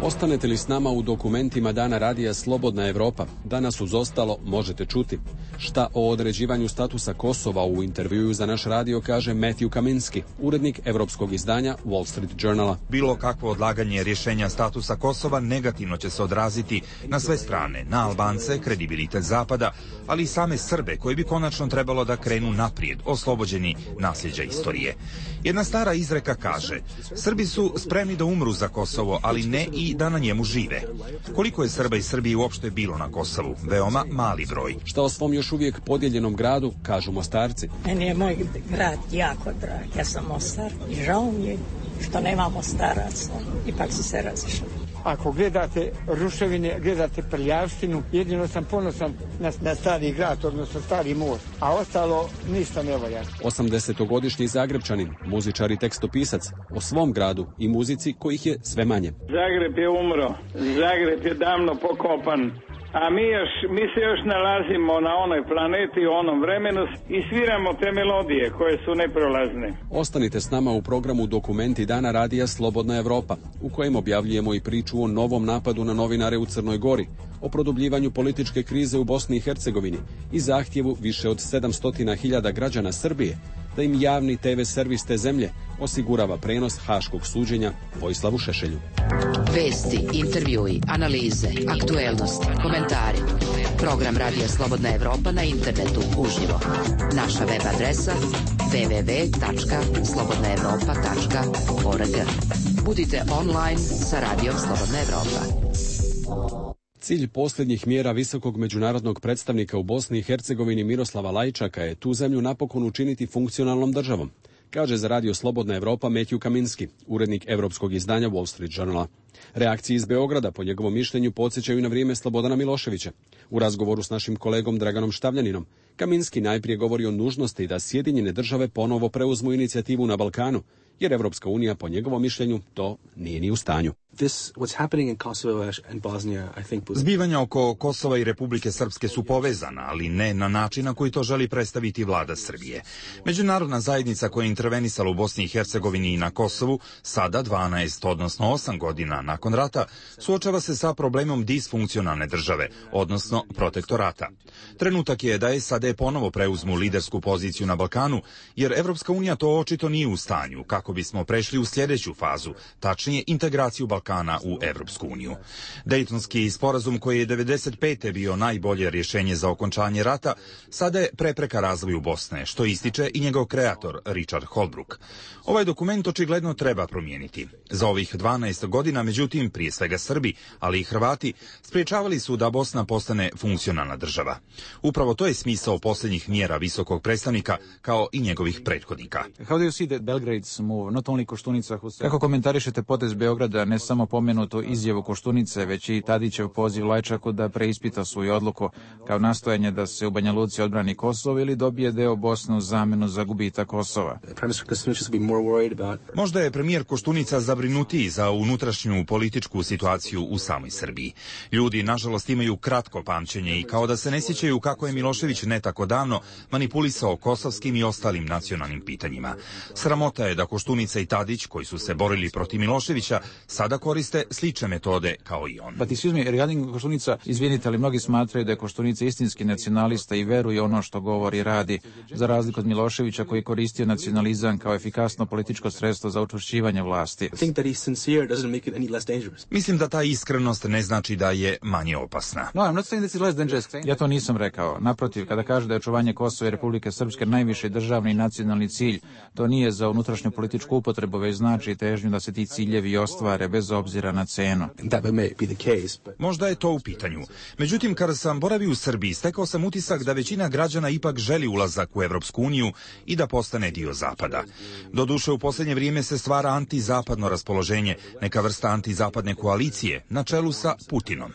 Ostanete li s nama u dokumentima dana Radija Slobodna Evropa? Danas uz ostalo možete čuti šta o određivanju statusa Kosova u intervjuu za naš radio kaže Matthew Kaminski, urednik evropskog izdanja Wall Street Journala. Bilo kakvo odlaganje rješenja statusa Kosova negativno će se odraziti na sve strane, na Albance, kredibilitet Zapada, ali i same Srbe koji bi konačno trebalo da krenu naprijed, oslobođeni nasljeđa istorije. Jedna stara izreka kaže, Srbi su spremni da umru za Kosovo, ali ne i da na njemu žive. Koliko je Srba i Srbije uopšte bilo na Kosovu? Veoma mali broj. Šta o svom još uvijek podijeljenom gradu kažu Mostarci? Meni je moj grad jako drag. Ja sam Mostar i žao mi je što nema Mostaraca. Ipak su se razišli. Ako gledate ruševine, gledate prljavštinu, jedino sam ponosan na stari grad, odnosno stari most, a ostalo ništa ne volja. 80-godišnji Zagrebčanin, muzičar i tekstopisac, o svom gradu i muzici kojih je sve manje. Zagreb je umro, Zagreb je davno pokopan, a mi se još nalazimo na onoj planeti, u onom vremenu i sviramo te melodije koje su neprolazne. Ostanite s nama u programu Dokumenti dana Radija Slobodna Evropa, u kojem objavljujemo i priču o novom napadu na novinare u Crnoj Gori, o produbljivanju političke krize u Bosni i Hercegovini i zahtjevu više od 700.000 građana Srbije da im javni TV servis te zemlje osigurava prenos haškog suđenja Vojislavu Šešelju. Vesti, intervjui, analize, aktuelnosti, komentari. Program Radija Slobodna Evropa na internetu uživo. Naša web adresa www.slobodnaevropa.org. Budite online sa Radijom Slobodna Evropa. Cilj posljednjih mjera visokog međunarodnog predstavnika u Bosni i Hercegovini Miroslava Lajčaka je tu zemlju napokon učiniti funkcionalnom državom, kaže za Radio Slobodna Evropa Matthew Kaminski, urednik evropskog izdanja Wall Street Journala. Reakcije iz Beograda, po njegovom mišljenju, podsjećaju na vrijeme Slobodana Miloševića. U razgovoru s našim kolegom Draganom Štavljaninom, Kaminski najprije govori o nužnosti da Sjedinjene države ponovo preuzmu inicijativu na Balkanu, jer Evropska unija, po njegovom mišljenju, to nije ni u stanju. Zbivanja oko Kosova i Republike Srpske su povezana, ali ne na način na koji to želi predstaviti vlada Srbije. Međunarodna zajednica koja je intervenisala u Bosni i Hercegovini i na Kosovu, sada 12, odnosno 8 godina nakon rata, suočava se sa problemom disfunkcionalne države, odnosno protektorata. Trenutak je da SAD ponovo preuzmu lidersku poziciju na Balkanu, jer Evropska unija to očito nije u stanju, kako bismo prešli u sljedeću fazu, tačnije integraciju Balkana u Evropsku uniju. Dejtonski sporazum koji je 1995. bio najbolje rješenje za okončanje rata, sada je prepreka razvoju Bosne, što ističe i njegov kreator Richard Holbrooke. Ovaj dokument očigledno treba promijeniti. Za ovih 12 godina, međutim, prije svega Srbi, ali i Hrvati, spriječavali su da Bosna postane funkcionalna država. Upravo to je smisao posljednjih mjera visokog predstavnika, kao i njegovih prethodnika. Kako komentarišete potez Beograda, ne samo pomenutu izjavu Koštunice, već i Tadićev poziv Lajčaku da preispita svoju odluku kao nastojanje da se u Banja Luci odbrani Kosovo ili dobije deo Bosne u zamjenu za gubitak Kosova? Možda je premijer Koštunica zabrinutiji za unutrašnju političku situaciju u samoj Srbiji. Ljudi, nažalost, imaju kratko pamćenje i kao da se ne sjećaju kako je Milošević ne tako davno manipulisao kosovskim i ostalim nacionalnim pitanjima. Sramota je da Koštunica i Tadić, koji su se borili protiv Miloševića, sada koriste slične metode kao i on. Koštunica, izvinite, ali mnogi smatraju da je Koštunica istinski nacionalista i veruje ono što govori i radi, za razliku od Miloševića koji je koristio nacionalizam kao efikasno političko sredstvo za učvršćivanje vlasti. Mislim da ta iskrenost ne znači da je manje opasna. Ja to nisam rekao. Naprotiv, kada kaže da je očuvanje Kosova i Republike Srpske najviši državni i nacionalni cilj. To nije za unutrašnju političku upotrebu, već znači težnju da se ti ciljevi ostvare bez obzira na cenu. Možda je to u pitanju. Međutim, kada sam boravio u Srbiji, stekao sam utisak da većina građana ipak želi ulazak u Evropsku uniju i da postane dio Zapada. Doduše, u posljednje vrijeme se stvara antizapadno raspoloženje, neka vrsta antizapadne koalicije, na čelu sa Putinom.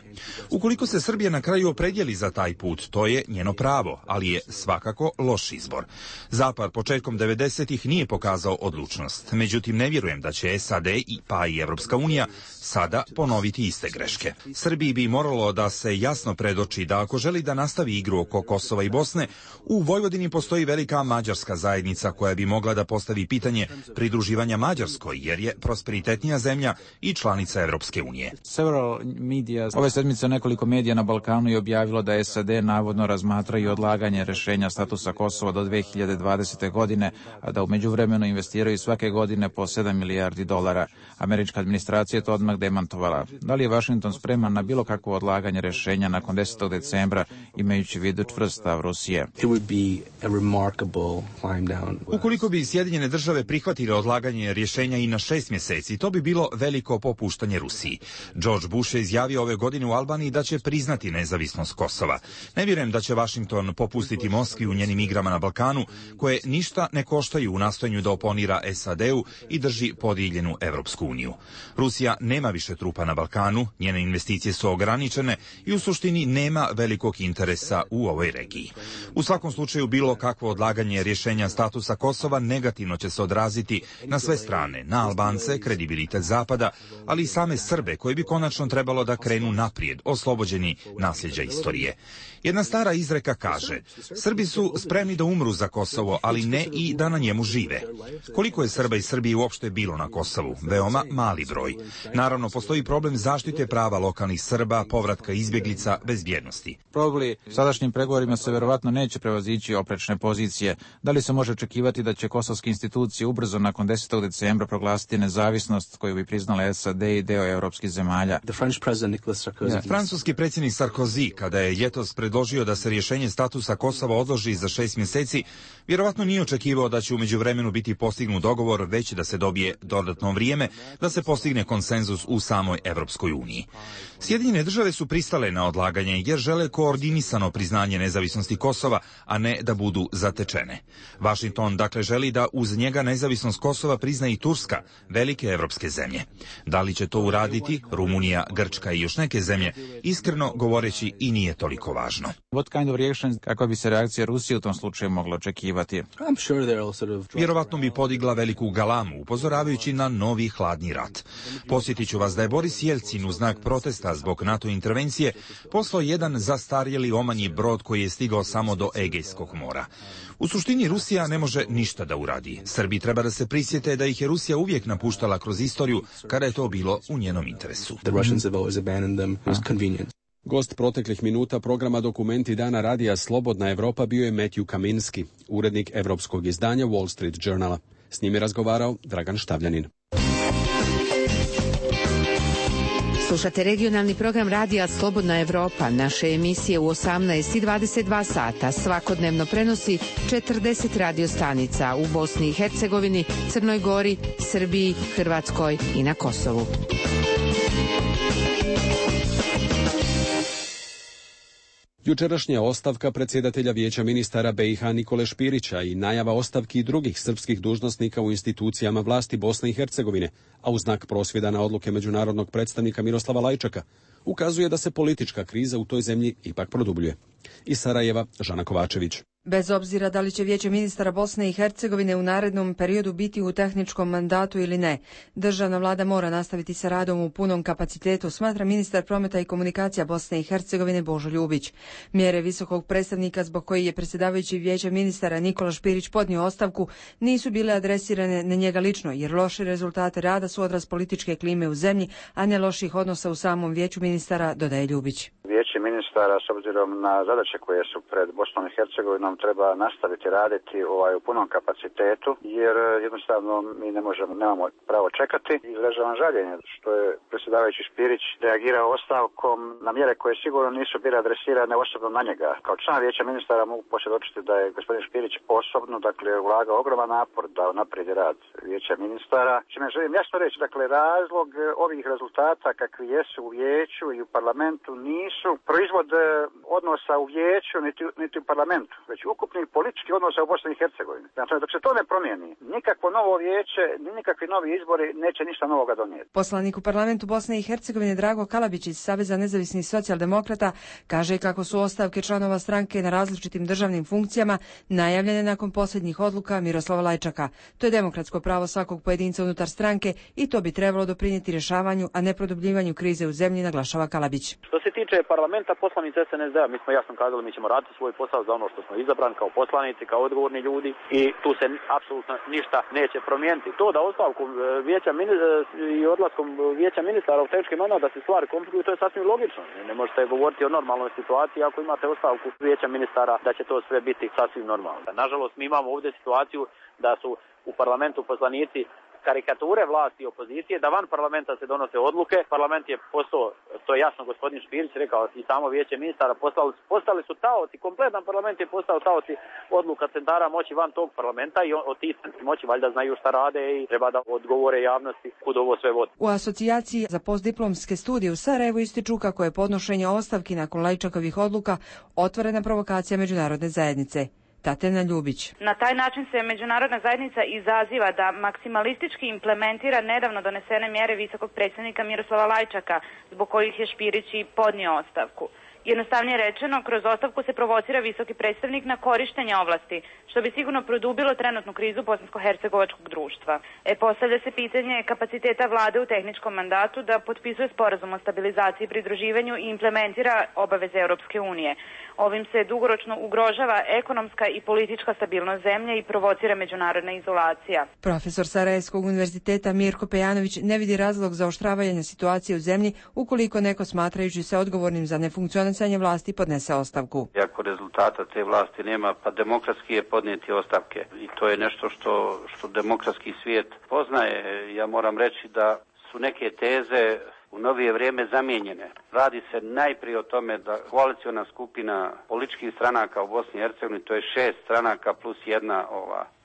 Ukoliko se Srbija na kraju opredjeli za taj put, to je njeno pravo, ali je svakako loš izbor. Zapad početkom 90-ih nije pokazao odlučnost. Međutim, ne vjerujem da će SAD pa i Evropska unija sada ponoviti iste greške. Srbiji bi moralo da se jasno predoči da ako želi da nastavi igru oko Kosova i Bosne, u Vojvodini postoji velika mađarska zajednica koja bi mogla da postavi pitanje pridruživanja Mađarskoj, jer je prosperitetnija zemlja i članica Evropske unije. Ove sedmice nekoliko medija na Balkanu je objavilo da SAD navodno razmatraju odlaganje rješenja statusa Kosova do 2020. godine, a da u međuvremenu investiraju svake godine po $7 milijardi. Američka administracija je to odmah demantovala. Da li je Washington spreman na bilo kakvo odlaganje rješenja nakon 10. decembra, imajući vidu čvrst stav Rusije? Ukoliko bi Sjedinjene države prihvatile odlaganje rješenja i na 6 mjeseci, to bi bilo veliko popuštanje Rusiji. George Bush je izjavio ove godine u Albaniji da će priznati nezavisnost Kosova. Ne vjerujem da će Washington popustiti Moskvi u njenim igrama na Balkanu, koje ništa ne koštaju u nastojanju da oponira SAD-u i drži podijeljenu Evropsku uniju. Rusija nema više trupa na Balkanu, njene investicije su ograničene i u suštini nema velikog interesa u ovoj regiji. U svakom slučaju, bilo kakvo odlaganje rješenja statusa Kosova negativno će se odraziti na sve strane, na Albance, kredibilitet Zapada, ali i same Srbe koji bi konačno trebalo da krenu naprijed, oslobođeni nasljeđa istorije. Jedna stara izreka kaže: Srbi su spremni da umru za Kosovo, ali ne i da na njemu žive. Koliko je Srba i Srbije uopšte bilo na Kosovu? Veoma mali broj. Naravno, postoji problem zaštite prava lokalnih Srba, povratka izbjeglica, bezbjednosti. Sadašnjim pregovorima se verovatno neće prevazići oprečne pozicije. Da li se može očekivati da će kosovske institucije ubrzo nakon 10. decembra proglasiti nezavisnost koju bi priznala SAD i deo evropskih zemalja? Francuski predsjednik Sarkozy, kada je ljetos predložio da se rješenje statusa Kosova odloži za 6 mjeseci, vjerovatno nije očekivao da će u međuvremenu biti postignut dogovor, već da se dobije dodatno vrijeme da se postigne konsenzus u samoj Evropskoj uniji. Sjedinjene države su pristale na odlaganje jer žele koordinisano priznanje nezavisnosti Kosova, a ne da budu zatečene. Washington dakle želi da uz njega nezavisnost Kosova prizna i Turska, velike evropske zemlje. Da li će to uraditi Rumunija, Grčka i još neke zemlje, iskreno govoreći i nije toliko važno. Kakva bi se reakcija Rusije u tom slučaju mogla očekivati? Vjerovatno bi podigla veliku galamu, upozoravajući na novi hladni rat. Posjetit ću vas da je Boris Jelcin u znak protesta zbog NATO intervencije poslao jedan zastarjeli omanji brod koji je stigao samo do Egejskog mora. U suštini Rusija ne može ništa da uradi. Srbi treba da se prisjete da ih je Rusija uvijek napuštala kroz istoriju kada je to bilo u njenom interesu. Gost proteklih minuta programa Dokumenti dana radija Slobodna Evropa bio je Matthew Kaminski, urednik evropskog izdanja Wall Street Journala. S njim je razgovarao Dragan Štavljanin. Slušate regionalni program radija Slobodna Evropa. Naše emisije u 18 i 22 sata svakodnevno prenosi 40 radiostanica u Bosni i Hercegovini, Crnoj Gori, Srbiji, Hrvatskoj i na Kosovu. Jučerašnja ostavka predsjedatelja Vijeća ministara BiH Nikole Špirića i najava ostavki drugih srpskih dužnosnika u institucijama vlasti Bosne i Hercegovine, a u znak prosvjeda na odluke međunarodnog predstavnika Miroslava Lajčaka, ukazuje da se politička kriza u toj zemlji ipak produbljuje. Iz Sarajeva, Žana Kovačević. Bez obzira da li će Vijeće ministara Bosne i Hercegovine u narednom periodu biti u tehničkom mandatu ili ne, državna vlada mora nastaviti sa radom u punom kapacitetu, smatra ministar prometa i komunikacija Bosne i Hercegovine Božo Ljubić. Mjere visokog predstavnika zbog koji je predsjedavajući Vijeća ministara Nikola Špirić podnio ostavku nisu bile adresirane na njega lično, jer loši rezultate rada su odraz političke klime u zemlji, a ne loših odnosa u samom Vijeću ministara, dodaje Ljubić. Vijeće Vijeće ministara s obzirom na zadaće koje su pred Bosnom i Hercegovinom treba nastaviti raditi u punom kapacitetu, jer jednostavno mi nemamo pravo čekati. Izražavam žaljenje što je predsjedavajući Špirić reagirao ostavkom na mjere koje sigurno nisu bile adresirane osobno na njega. Kao član Vijeća ministara mogu posvjedočiti da je gospodin Špirić osobno, ulagao ogroman napor da unaprijedi rad Vijeća ministara. Čime želim jasno reći, razlog ovih rezultata kakvi jesu u Vijeću i u parlamentu nisu proizvod odnosa u Vijeću niti u parlamentu, već ukupnih političkih odnosa u Bosni i Hercegovini. Znači, dok se to ne promijeni, nikakvo novo vijeće, nikakvi novi izbori neće ništa novoga donijeti. Poslanik u parlamentu Bosne i Hercegovine Drago Kalabić iz Saveza nezavisnih socijaldemokrata kaže kako su ostavke članova stranke na različitim državnim funkcijama najavljene nakon posljednjih odluka Miroslava Lajčaka. To je demokratsko pravo svakog pojedinca unutar stranke i to bi trebalo doprinijeti rješavanju, a ne produbljivanju krize u zemlji, naglašava Kalabić. Što se tiče parlamenta, poslanici SNSD-a, mi smo jasno kazali, mi ćemo raditi svoj posao za ono što smo izabrani kao poslanici, kao odgovorni ljudi i tu se apsolutno ništa neće promijeniti. To da ostavkom i odlaskom Vijeća ministara u tehnički mandat da se stvari komplikuju, to je sasvim logično. Ne možete govoriti o normalnoj situaciji ako imate ostavku Vijeća ministara da će to sve biti sasvim normalno. Nažalost, mi imamo ovdje situaciju da su u parlamentu poslanici karikature vlasti i opozicije, da van parlamenta se donose odluke. Parlament je postao, to je jasno gospodin Špirić rekao, i samo Vijeće ministara postali su taoci, kompletan parlament je postao taoci odluka centara moći van tog parlamenta i od tih moći valjda znaju šta rade i treba da odgovore javnosti kud ovo sve vodi. U asocijaciji za postdiplomske studije u Sarajevu ističu kako je podnošenje ostavki nakon Lajčakovih odluka otvorena provokacija međunarodne zajednice. Tatjana Ljubić. Na taj način se međunarodna zajednica izaziva da maksimalistički implementira nedavno donesene mjere visokog predsjednika Miroslava Lajčaka, zbog kojih je Špirić i podnio ostavku. Jednostavnije rečeno, kroz ostavku se provocira visoki predstavnik na korištenje ovlasti, što bi sigurno produbilo trenutnu krizu bosansko-hercegovačkog društva. Postavlja se pitanje kapaciteta vlade u tehničkom mandatu da potpisuje sporazum o stabilizaciji i pridruživanju i implementira obaveze Europske unije. Ovim se dugoročno ugrožava ekonomska i politička stabilnost zemlje i provocira međunarodna izolacija. Profesor Sarajevskog univerziteta Mirko Pejanović ne vidi razlog za oštravanje situacije u zemlji ukoliko neko smatrajući se odgovornim za nefunkcionisanje vlasti podnese ostavku. Ako rezultata te vlasti nema, pa demokratski je podnijeti ostavke. I to je nešto što demokratski svijet poznaje. Ja moram reći da su neke teze u novije vrijeme zamijenjene. Radi se najprije o tome da koaliciona skupina političkih stranaka u Bosni i Hercegovini, to je 6 stranaka plus jedna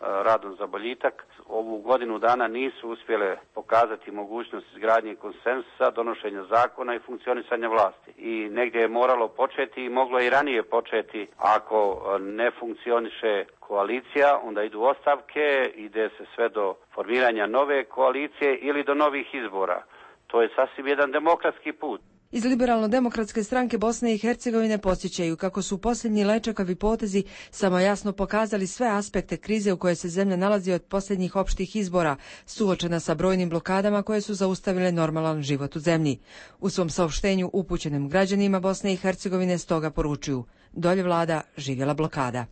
radom za boljitak, ovu godinu dana nisu uspjele pokazati mogućnost izgradnje konsenzusa, donošenja zakona i funkcionisanja vlasti. I negdje je moralo početi i moglo i ranije početi. Ako ne funkcioniše koalicija, onda idu ostavke, ide se sve do formiranja nove koalicije ili do novih izbora. To je sasvim jedan demokratski put. Iz Liberalno-demokratske stranke Bosne i Hercegovine podsjećaju kako su posljednji Lajčakovi potezi samo jasno pokazali sve aspekte krize u kojoj se zemlja nalazi od posljednjih opštih izbora, suočena sa brojnim blokadama koje su zaustavile normalan život u zemlji. U svom saopštenju upućenim građanima Bosne i Hercegovine stoga poručuju: dolje vlada, živjela blokada.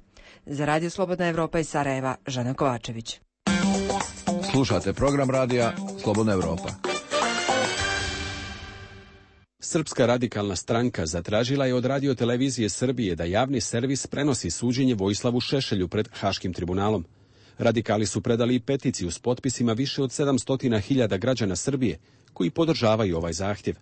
Za Radio Slobodna Evropa iz Sarajeva, Žana Kovačević. Slušate program radija Slobodna Evropa. Srpska radikalna stranka zatražila je od Radio-televizije Srbije da javni servis prenosi suđenje Vojislavu Šešelju pred Haškim tribunalom. Radikali su predali i peticiju s potpisima više od 700.000 građana Srbije koji podržavaju ovaj zahtjev.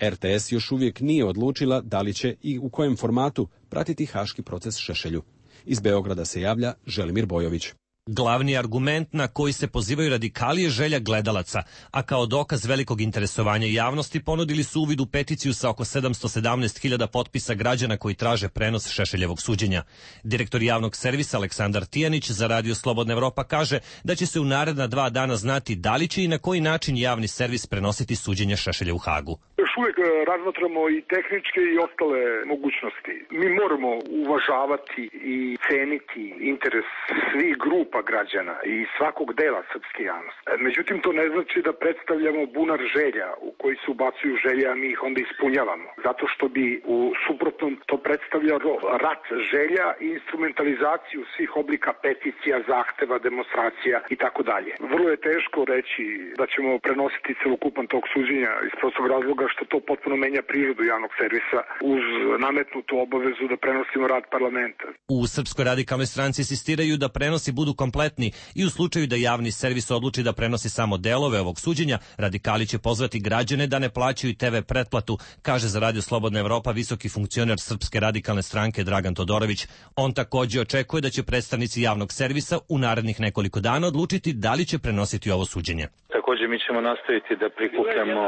RTS još uvijek nije odlučila da li će i u kojem formatu pratiti haški proces Šešelju. Iz Beograda se javlja Želimir Bojović. Glavni argument na koji se pozivaju radikali je želja gledalaca, a kao dokaz velikog interesovanja javnosti ponudili su uvid u peticiju sa oko 717.000 potpisa građana koji traže prenos Šešeljevog suđenja. Direktor javnog servisa Aleksandar Tijanić za Radio Slobodna Evropa kaže da će se u naredna 2 dana znati da li će i na koji način javni servis prenositi suđenje Šešelja u Hagu. Još uvijek razmatramo i tehničke i ostale mogućnosti. Mi moramo uvažavati i ceniti interes svih grupa grupa građana i svakog dela srpske javnosti. Međutim, to ne znači da predstavljamo bunar želja u koji se ubacuju želje, a mi ih onda ispunjavamo. Zato što bi u suprotnom to predstavljalo rat želja i instrumentalizaciju svih oblika peticija, zahteva, demonstracija i tako dalje. Vrlo je teško reći da ćemo prenositi celokupan tog suđenja iz prostog razloga što to potpuno menja prirodu javnog servisa uz nametnutu obavezu da prenosimo rad parlamenta. U Srpskoj radikalnoj stranci insistiraju da prenosi budu kompletni i u slučaju da javni servis odluči da prenosi samo delove ovog suđenja, radikali će pozvati građane da ne plaćaju TV pretplatu, kaže za Radio Slobodna Evropa visoki funkcioner Srpske radikalne stranke Dragan Todorović. On takođe očekuje da će predstavnici javnog servisa u narednih nekoliko dana odlučiti da li će prenositi ovo suđenje. Također mi ćemo nastaviti da prikupljamo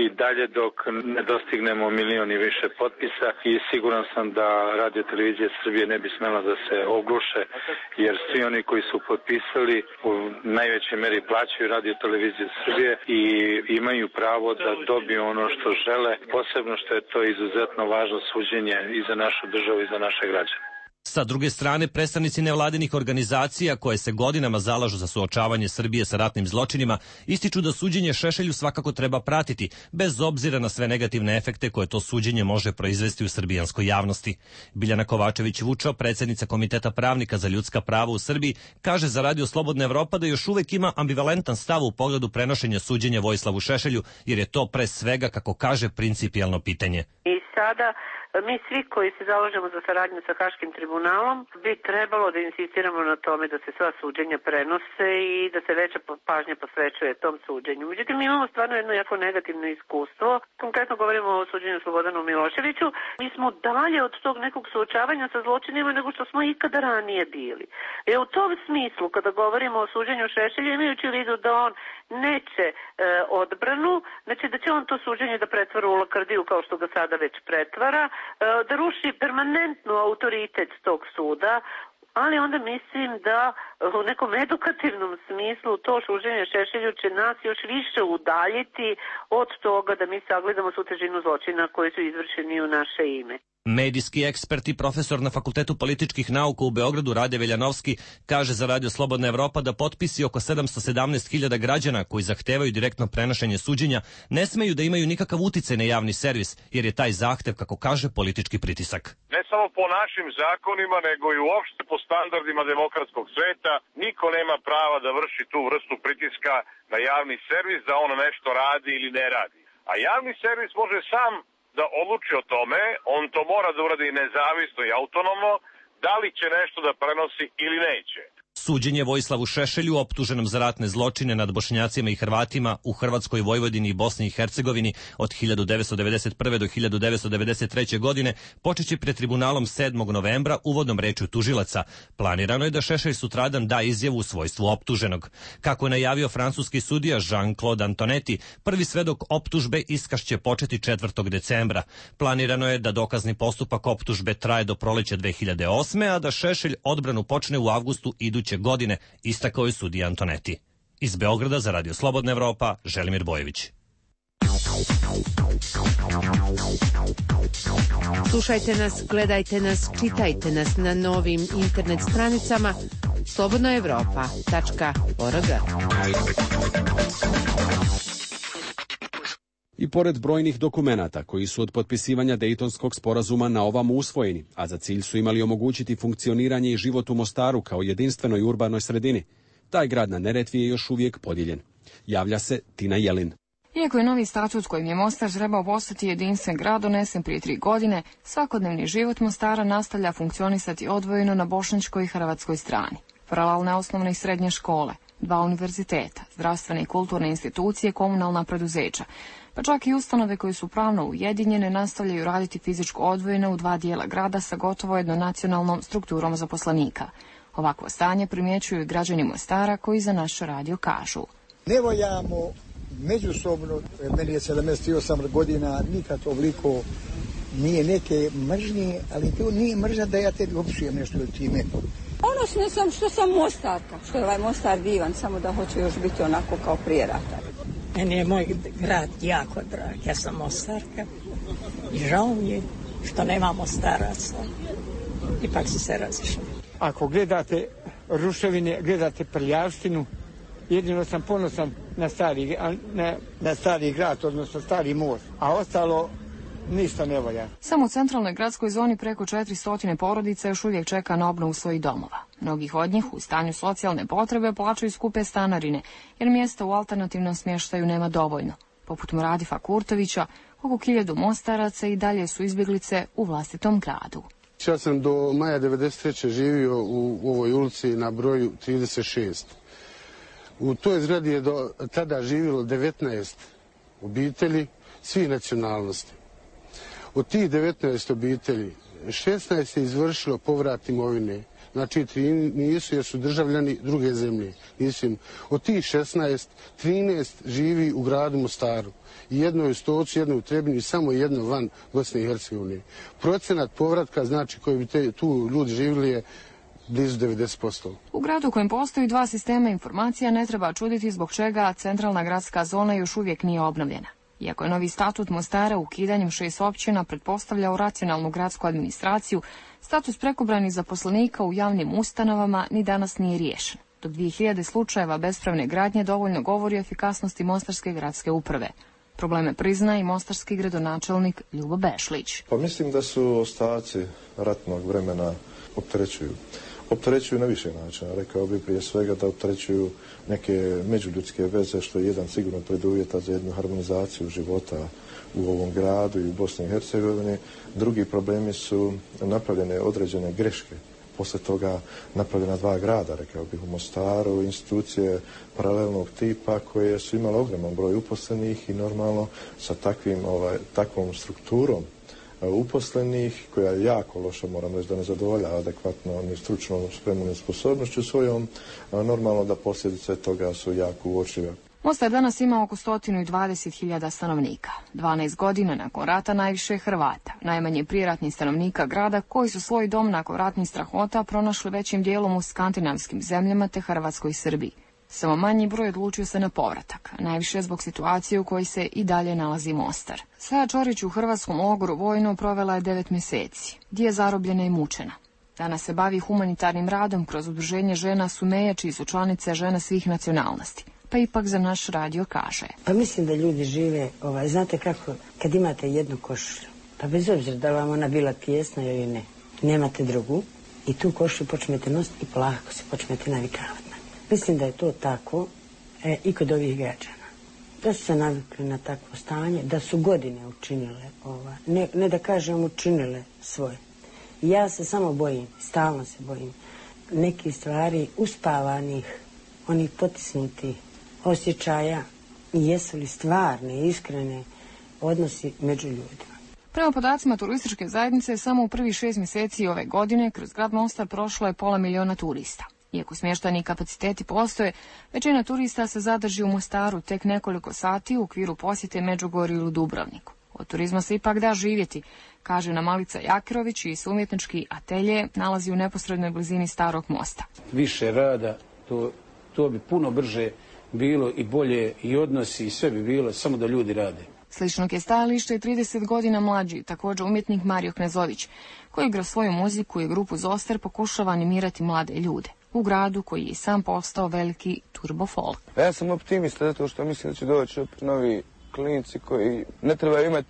i dalje dok ne dostignemo milion i više potpisa i siguran sam da Radio Televizija Srbije ne bi smela da se ogluše, jer svi oni koji su potpisali u najvećoj meri plaćaju Radio Televiziju Srbije i imaju pravo da dobiju ono što žele, posebno što je to izuzetno važno suđenje i za našu državu i za naše građane. Sa druge strane, predstavnici nevladinih organizacija koje se godinama zalažu za suočavanje Srbije sa ratnim zločinima ističu da suđenje Šešelju svakako treba pratiti, bez obzira na sve negativne efekte koje to suđenje može proizvesti u srbijanskoj javnosti. Biljana Kovačević-Vučo, predsjednica Komiteta pravnika za ljudska prava u Srbiji, kaže za Radio Slobodna Evropa da još uvek ima ambivalentan stav u pogledu prenošenja suđenja Vojislavu Šešelju, jer je to pre svega, kako kaže, principijelno pitanje. I sada mi svi koji se zalažemo za saradnju sa Haškim tribunalom bi trebalo da insistiramo na tome da se sva suđenja prenose i da se veća pažnja posvećuje tom suđenju. Međutim, mi imamo stvarno jedno jako negativno iskustvo. Konkretno govorimo o suđenju Slobodanu Miloševiću. Mi smo dalje od tog nekog suočavanja sa zločinima nego što smo ikada ranije bili. U tom smislu, kada govorimo o suđenju Šešelja, imajući u vidu da on neće odbranu, znači da će on to suđenje da pretvara u lakrdiju kao što ga sada već pretvara, da ruši permanentno autoritet tog suda, ali onda mislim da u nekom edukativnom smislu to suđenje Šešelju će nas još više udaljiti od toga da mi sagledamo svu težinu zločina koji su izvršeni u naše ime. Medijski ekspert i profesor na Fakultetu političkih nauka u Beogradu Rade Veljanovski kaže za Radio Slobodna Evropa da potpisi oko 717.000 građana koji zahtevaju direktno prenošenje suđenja ne smeju da imaju nikakav uticaj na javni servis, jer je taj zahtev, kako kaže, politički pritisak. Ne samo po našim zakonima, nego i uopšte po standardima demokratskog sveta, niko nema prava da vrši tu vrstu pritiska na javni servis, da on nešto radi ili ne radi. A javni servis može sam da odluči o tome, on to mora da uradi nezavisno i autonomno, da li će nešto da prenosi ili neće. Suđenje Vojislavu Šešelju, optuženom za ratne zločine nad Bošnjacima i Hrvatima u Hrvatskoj, Vojvodini i Bosni i Hercegovini od 1991. do 1993. godine, počeće pred tribunalom 7. novembra uvodnom rečju tužilaca. Planirano je da Šešelj sutradan da izjavu u svojstvu optuženog. Kako je najavio francuski sudija Jean-Claude Antonetti, prvi svedok optužbe iskaz će početi 4. decembra. Planirano je da dokazni postupak optužbe traje do proleća 2008. a da Šešelj odbranu počne u avgustu iduće godine, istakao je sudija Antonetti. Iz Beograda za Radio Slobodna Evropa, Želimir Bojević. Slušajte nas, gledajte nas, čitajte nas na novim internet stranicama slobodnaevropa.org. I pored brojnih dokumenata koji su od potpisivanja Dejtonskog sporazuma na ovamo usvojeni, a za cilj su imali omogućiti funkcioniranje i život u Mostaru kao jedinstvenoj urbanoj sredini, taj grad na Neretvi je još uvijek podijeljen. Javlja se Tina Jelin. Iako je novi statut kojim je Mostar trebao postati jedinstven grad donesen prije 3 godine, svakodnevni život Mostara nastavlja funkcionisati odvojeno na bošnjačkoj i hrvatskoj strani. Paralelne osnovne i srednje škole, 2 univerziteta, zdravstvene i kulturne institucije, komunalna preduzeća, pa čak i ustanove koje su pravno ujedinjene nastavljaju raditi fizičko odvojeno u 2 dijela grada sa gotovo jednonacionalnom strukturom zaposlenika. Ovakvo stanje primjećuju i građani Mostara koji za naš radio kažu. Ne voljamo međusobno, meni je 78 godina, nikad ovoliko nije neke mržnje, ali to nije mržnja da ja tebi opisujem nešto ili ti meni. Ponosna sam što sam Mostarka, što je ovaj Mostar divan, samo da hoće još biti onako kao prije rata. Meni je moj grad jako drag, ja sam Mostarka i žao mi je što nemamo staraca, ipak su se razišli. Ako gledate ruševine, gledate prljavštinu. Jedino sam ponosan na stari grad, odnosno stari most, a ostalo ništa ne valja. Samo u centralnoj gradskoj zoni preko 400 porodica još uvijek čeka na obnovu svojih domova. Mnogih od njih u stanju socijalne potrebe plaćaju skupe stanarine, jer mjesta u alternativnom smještaju nema dovoljno. Poput Muradifa Kurtovića, oko 1000 Mostaraca i dalje su izbjeglice u vlastitom gradu. Ja sam do maja 1993. živio u ovoj ulici na broju 36. U toj zgradi je do tada živjelo 19 obitelji svih nacionalnosti. Od tih 19 obitelji 16 je izvršilo povrat imovine. Znači 3 nisu jer su državljani druge zemlje. Od tih 16, 13 živi u gradu Mostaru. Jedno je u Stocu, jedno u Trebinju i samo jedno van Bosne i Hercegovine. Procenat povratka, znači koji bi tu ljudi živjeli, je blizu 90%. U gradu u kojem postoji 2 sistema informacija ne treba čuditi zbog čega centralna gradska zona još uvijek nije obnovljena. Iako je novi statut Mostara ukidanjem 6 općina pretpostavljao racionalnu gradsku administraciju, status prekobranih zaposlenika u javnim ustanovama ni danas nije riješen. Dok 2000 slučajeva bespravne gradnje dovoljno govori o efikasnosti Mostarske gradske uprave. Probleme prizna i mostarski gradonačelnik Ljubo Bešlić. Pa mislim da su ostaci ratnog vremena opterećuju na više načina. Rekao bih prije svega da opterećuju neke međuljudske veze, što je jedan sigurno preduvjeta za jednu harmonizaciju života u ovom gradu i u Bosni i Hercegovini. Drugi problemi su napravljene određene greške. Posle toga napravljena 2 grada, rekao bih u Mostaru, institucije paralelnog tipa koje su imale ogroman broj uposlenih i normalno sa takvom strukturom uposlenih, koja je jako loša, moram reći da ne zadovoljava adekvatno ni stručnom spremom i sposobnošću svojom, normalno da posljedice toga su jako uočljive. Mostar danas ima oko 120.000 stanovnika. 12 godina nakon rata najviše Hrvata, najmanje prijeratnih stanovnika grada koji su svoj dom nakon ratnih strahota pronašli većim dijelom u skandinavskim zemljama te Hrvatskoj i Srbiji. Samo manji broj odlučio se na povratak, najviše zbog situacije u kojoj se i dalje nalazi Mostar. Saja Čorić u hrvatskom logoru vojno provela je 9 mjeseci, gdje je zarobljena i mučena. Danas se bavi humanitarnim radom kroz udruženje žena Sumeja, čiji su članice žena svih nacionalnosti. Pa ipak za naš radio kaže. Pa mislim da ljudi žive, znate kako, kad imate jednu košulju, pa bez obzira da vam ona bila tijesna ili ne, nemate drugu i tu košulju počnete nositi i polako se počnete navikavati. Mislim da je to tako i kod ovih građana. Da su se navikli na takvo stanje, da su godine učinile, ne da kažem učinile svoje. Ja se samo bojim, stalno se bojim, nekih stvari uspavanih, onih potisnutih osjećaja i jesu li stvarne, iskrene odnosi među ljudima. Prema podacima turističke zajednice, samo u prvih 6 mjeseci ove godine kroz grad Mostar prošlo je 500 000 turista. Iako smještajni kapaciteti postoje, većina turista se zadrži u Mostaru tek nekoliko sati u okviru posjete Međugorju ili Dubrovniku. Od turizma se ipak da živjeti, kaže nam Malica Jakirović, i se umjetnički atelje nalazi u neposrednoj blizini Starog mosta. Više rada, to bi puno brže bilo i bolje i odnosi i sve bi bilo, samo da ljudi rade. Sličnog je stajalište i 30 godina mlađi, također umjetnik Mario Knezović, koji kroz svoju muziku i grupu Zoster pokušava animirati mlade ljude u gradu koji je sam postao veliki turbo folk. Ja sam optimista zato što mislim da će doći novi klinici koji ne trebaju imati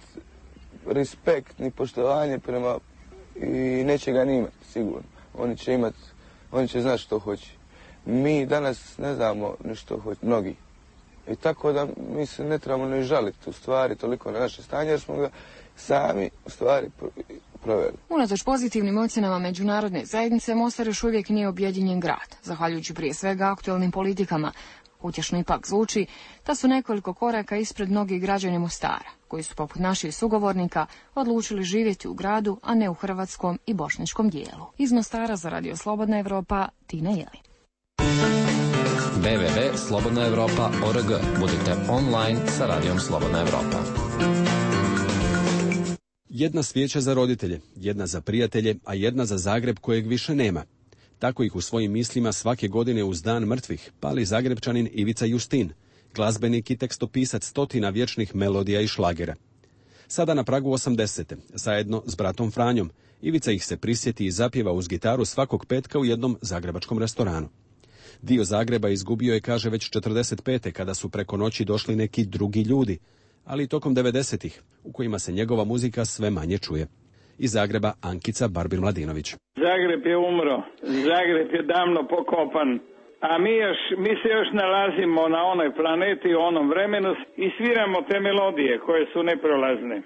respekt ni poštovanje prema i neće ga ni imati sigurno. Oni će znati što hoće. Mi danas ne znamo ni što hoće, mnogi. I tako da mi se ne trebamo ne žaliti u stvari toliko na naše stanje jer smo ga sami u stvari proveli. Unatoč pozitivnim ocjenama međunarodne zajednice, Mostar još uvijek nije objedinjen grad, zahvaljujući prije svega aktualnim politikama. Utješno ipak zvuči da su nekoliko koraka ispred mnogih građana Mostara, koji su poput naših sugovornika odlučili živjeti u gradu, a ne u hrvatskom i bošnjačkom dijelu. Iz Mostara za Radio Slobodna Evropa, Tina Jeli. www.slobodnaevropa.org. Budite online sa Radijom Slobodna Evropa. Jedna svijeća za roditelje, jedna za prijatelje, a jedna za Zagreb kojeg više nema. Tako ih u svojim mislima svake godine uz Dan mrtvih pali Zagrebčanin Ivica Justin, glazbenik i tekstopisac stotina vječnih melodija i šlagera. Sada na pragu 80. zajedno s bratom Franjom, Ivica ih se prisjeti i zapjeva uz gitaru svakog petka u jednom zagrebačkom restoranu. Dio Zagreba izgubio je, kaže, već 45. kada su preko noći došli neki drugi ljudi, ali i tokom 90-ih, u kojima se njegova muzika sve manje čuje. Iz Zagreba Ankica Barbir-Mladinović. Zagreb je umro, Zagreb je davno pokopan, a mi se još nalazimo na onoj planeti, u onom vremenu i sviramo te melodije koje su neprolazne.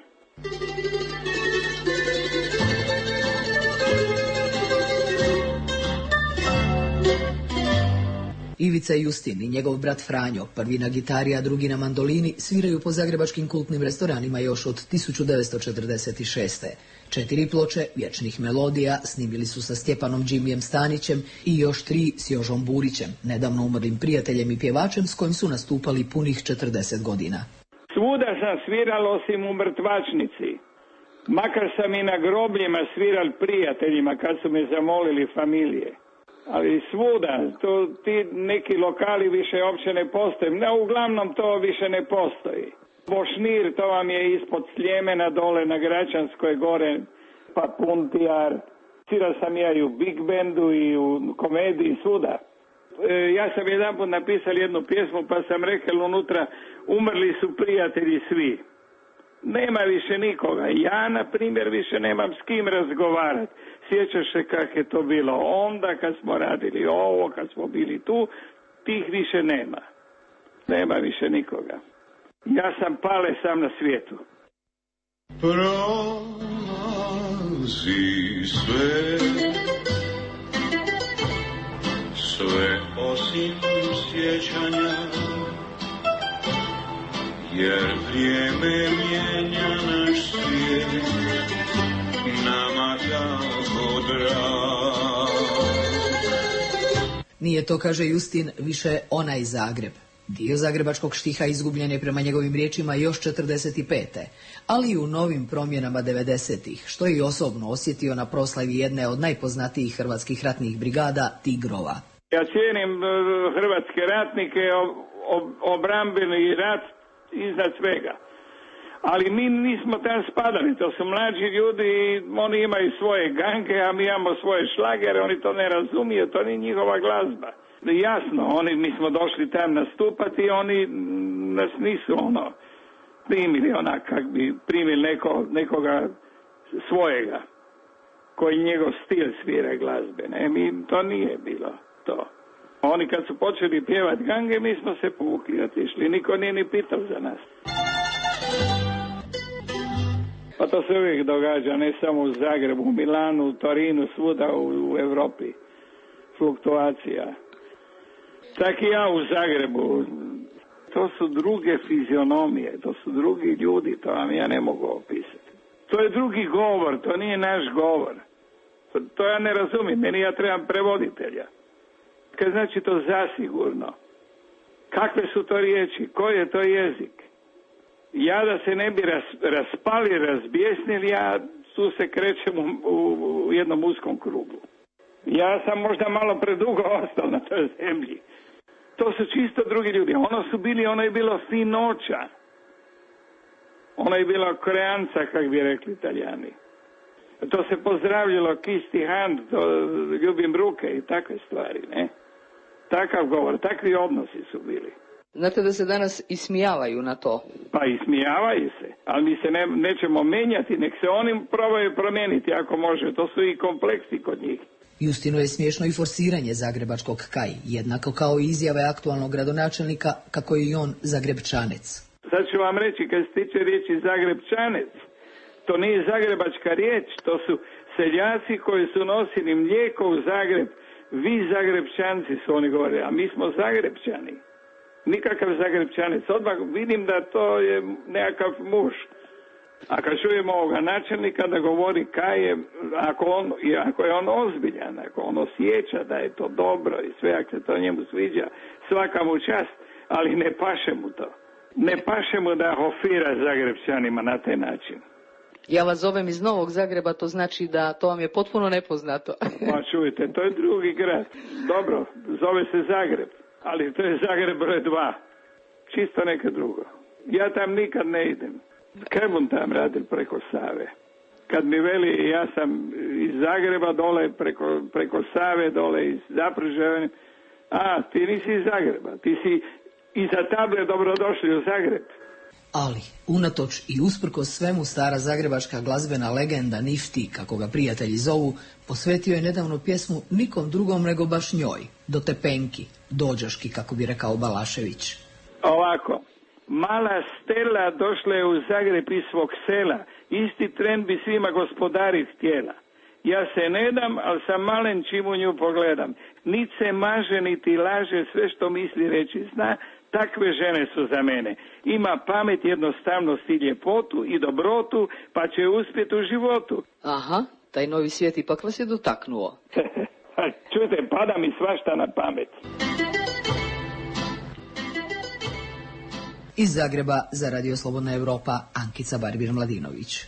Ivica Justin i njegov brat Franjo, prvi na gitari, a drugi na mandolini, sviraju po zagrebačkim kultnim restoranima još od 1946. 4 ploče vječnih melodija snimili su sa Stjepanom Džimijem Stanićem i još 3 s Jožom Burićem, nedavno umrlim prijateljem i pjevačem s kojim su nastupali punih 40 godina. Svuda sam sviral osim u mrtvačnici. Makar sam i na grobljima sviral prijateljima kad su me zamolili familije. Ali svuda, ti neki lokali više uopće ne postoje. Uglavnom to više ne postoji. Bošnir, to vam je ispod Sljemena dole na Gračanskoj gore, pa Puntijar. Svirao sam ja i u Big Bandu i u komediji, svuda. Ja sam jedanput napisao jednu pjesmu pa sam rekao unutra, umrli su prijatelji svi. Nema više nikoga. Ja, na primjer, više nemam s kim razgovarati. Sjećaš se kako je to bilo onda kad smo radili ovo, kad smo bili tu, tih više nema. Nema više nikoga. Ja sam pale sam na svijetu. Prolazi sve osim sjećanja, jer vrijeme mijenja naš svijet, nama tako drag. Nije to, kaže Justin, više onaj Zagreb. Dio zagrebačkog štiha izgubljen je prema njegovim riječima još 45. ali i u novim promjenama 90-ih, što je i osobno osjetio na proslavi jedne od najpoznatijih hrvatskih ratnih brigada, Tigrova. Ja cijenim hrvatske ratnike, obrambeni rat iznad svega. Ali mi nismo tam spadali, to su mlađi ljudi i oni imaju svoje gange, a mi imamo svoje šlagere, oni to ne razumiju, to nije njihova glazba. Jasno, mi smo došli tam nastupati i oni nas nisu primili onak kak bi primili nekoga svojega, koji njegov stil svira glazbe. To nije bilo to. Oni kad su počeli pjevati gange, mi smo se povukli i otišli. Niko nije ni pitao za nas. Pa to se uvijek događa, ne samo u Zagrebu, u Milanu, u Torinu, svuda u Europi. Fluktuacija. Tak i ja u Zagrebu. To su druge fizionomije, to su drugi ljudi, to vam ja ne mogu opisati. To je drugi govor, to nije naš govor. To ja ne razumijem, meni ja trebam prevoditelja. Kaj znači to zasigurno? Kakve su to riječi? Koji je to jezik? Ja da se ne bi raspali, razbjesnili, ja tu se krećem u jednom uskom krugu. Ja sam možda malo predugo ostao na toj zemlji. To su čisto drugi ljudi. Ono je bilo finoća. Ono je bilo kreanca, kak bi rekli Italijani. To se pozdravljalo kiss the hand, to ljubim ruke i takve stvari, ne? Takav govor, takvi odnosi su bili. Znate da se danas ismijavaju na to? Pa ismijavaju se, ali mi se nećemo menjati, nek se oni probaju promijeniti ako može, to su i kompleksi kod njih. Justinu je smiješno i forsiranje zagrebačkog kaj, jednako kao i izjave aktualnog gradonačelnika kako je i on Zagrebčanec. Sad ću vam reći, kad se tiče riječi Zagrebčanec, to nije zagrebačka riječ, to su seljaci koji su nosili mlijeko u Zagreb. Vi Zagrebčanci su oni govorili, a mi smo Zagrebčani. Nikakav Zagrebčanec. Odmah vidim da to je nekakav muž. A kad čujemo ovoga načelnika da govori kaj je, ako je on ozbiljan, ako on osjeća da je to dobro i sve, ako se to njemu sviđa, svaka mu čast, ali ne paše mu to. Ne paše mu da hofira Zagrebčanima na taj način. Ja vas zovem iz Novog Zagreba, to znači da to vam je potpuno nepoznato. Pa čujte, to je drugi grad. Dobro, zove se Zagreb, ali to je Zagreb broj 2. Čisto neka drugo. Ja tam nikad ne idem. Kaj bom tam radil preko Save? Kad mi veli, ja sam iz Zagreba dole, preko Save dole, iz Zapružja, ti nisi iz Zagreba, ti si iza table dobrodošli u Zagreb. Ali, unatoč i usprkos svemu, stara zagrebačka glazbena legenda Nifti, kako ga prijatelji zovu, posvetio je nedavno pjesmu nikom drugom nego baš njoj, do Tepenki, dođaški, kako bi rekao Balašević. Ovako, mala Stela došla je u Zagreb iz svog sela, isti tren bi svima gospodari htjela. Ja se ne dam, ali sam malen čim u nju pogledam. Nit se maže, niti laže, sve što misli reći zna, takve žene su za mene. Ima pamet, jednostavnost i ljepotu i dobrotu, pa će uspjeti u životu. Aha, taj novi svijet ipak vas je dotaknuo. Čujte, pada mi svašta na pamet. Iz Zagreba za Radio Slobodna Evropa, Ankica Barbir-Mladinović.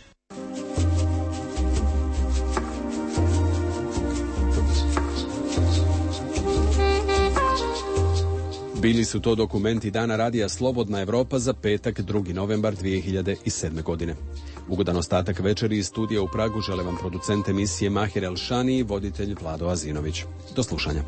Bili su to dokumenti Dana radija Slobodna Evropa za petak 2. novembar 2007. godine. Ugodan ostatak večeri iz studija u Pragu žele vam producent emisije Mahir Elšani i voditelj Vlado Azinović. Do slušanja.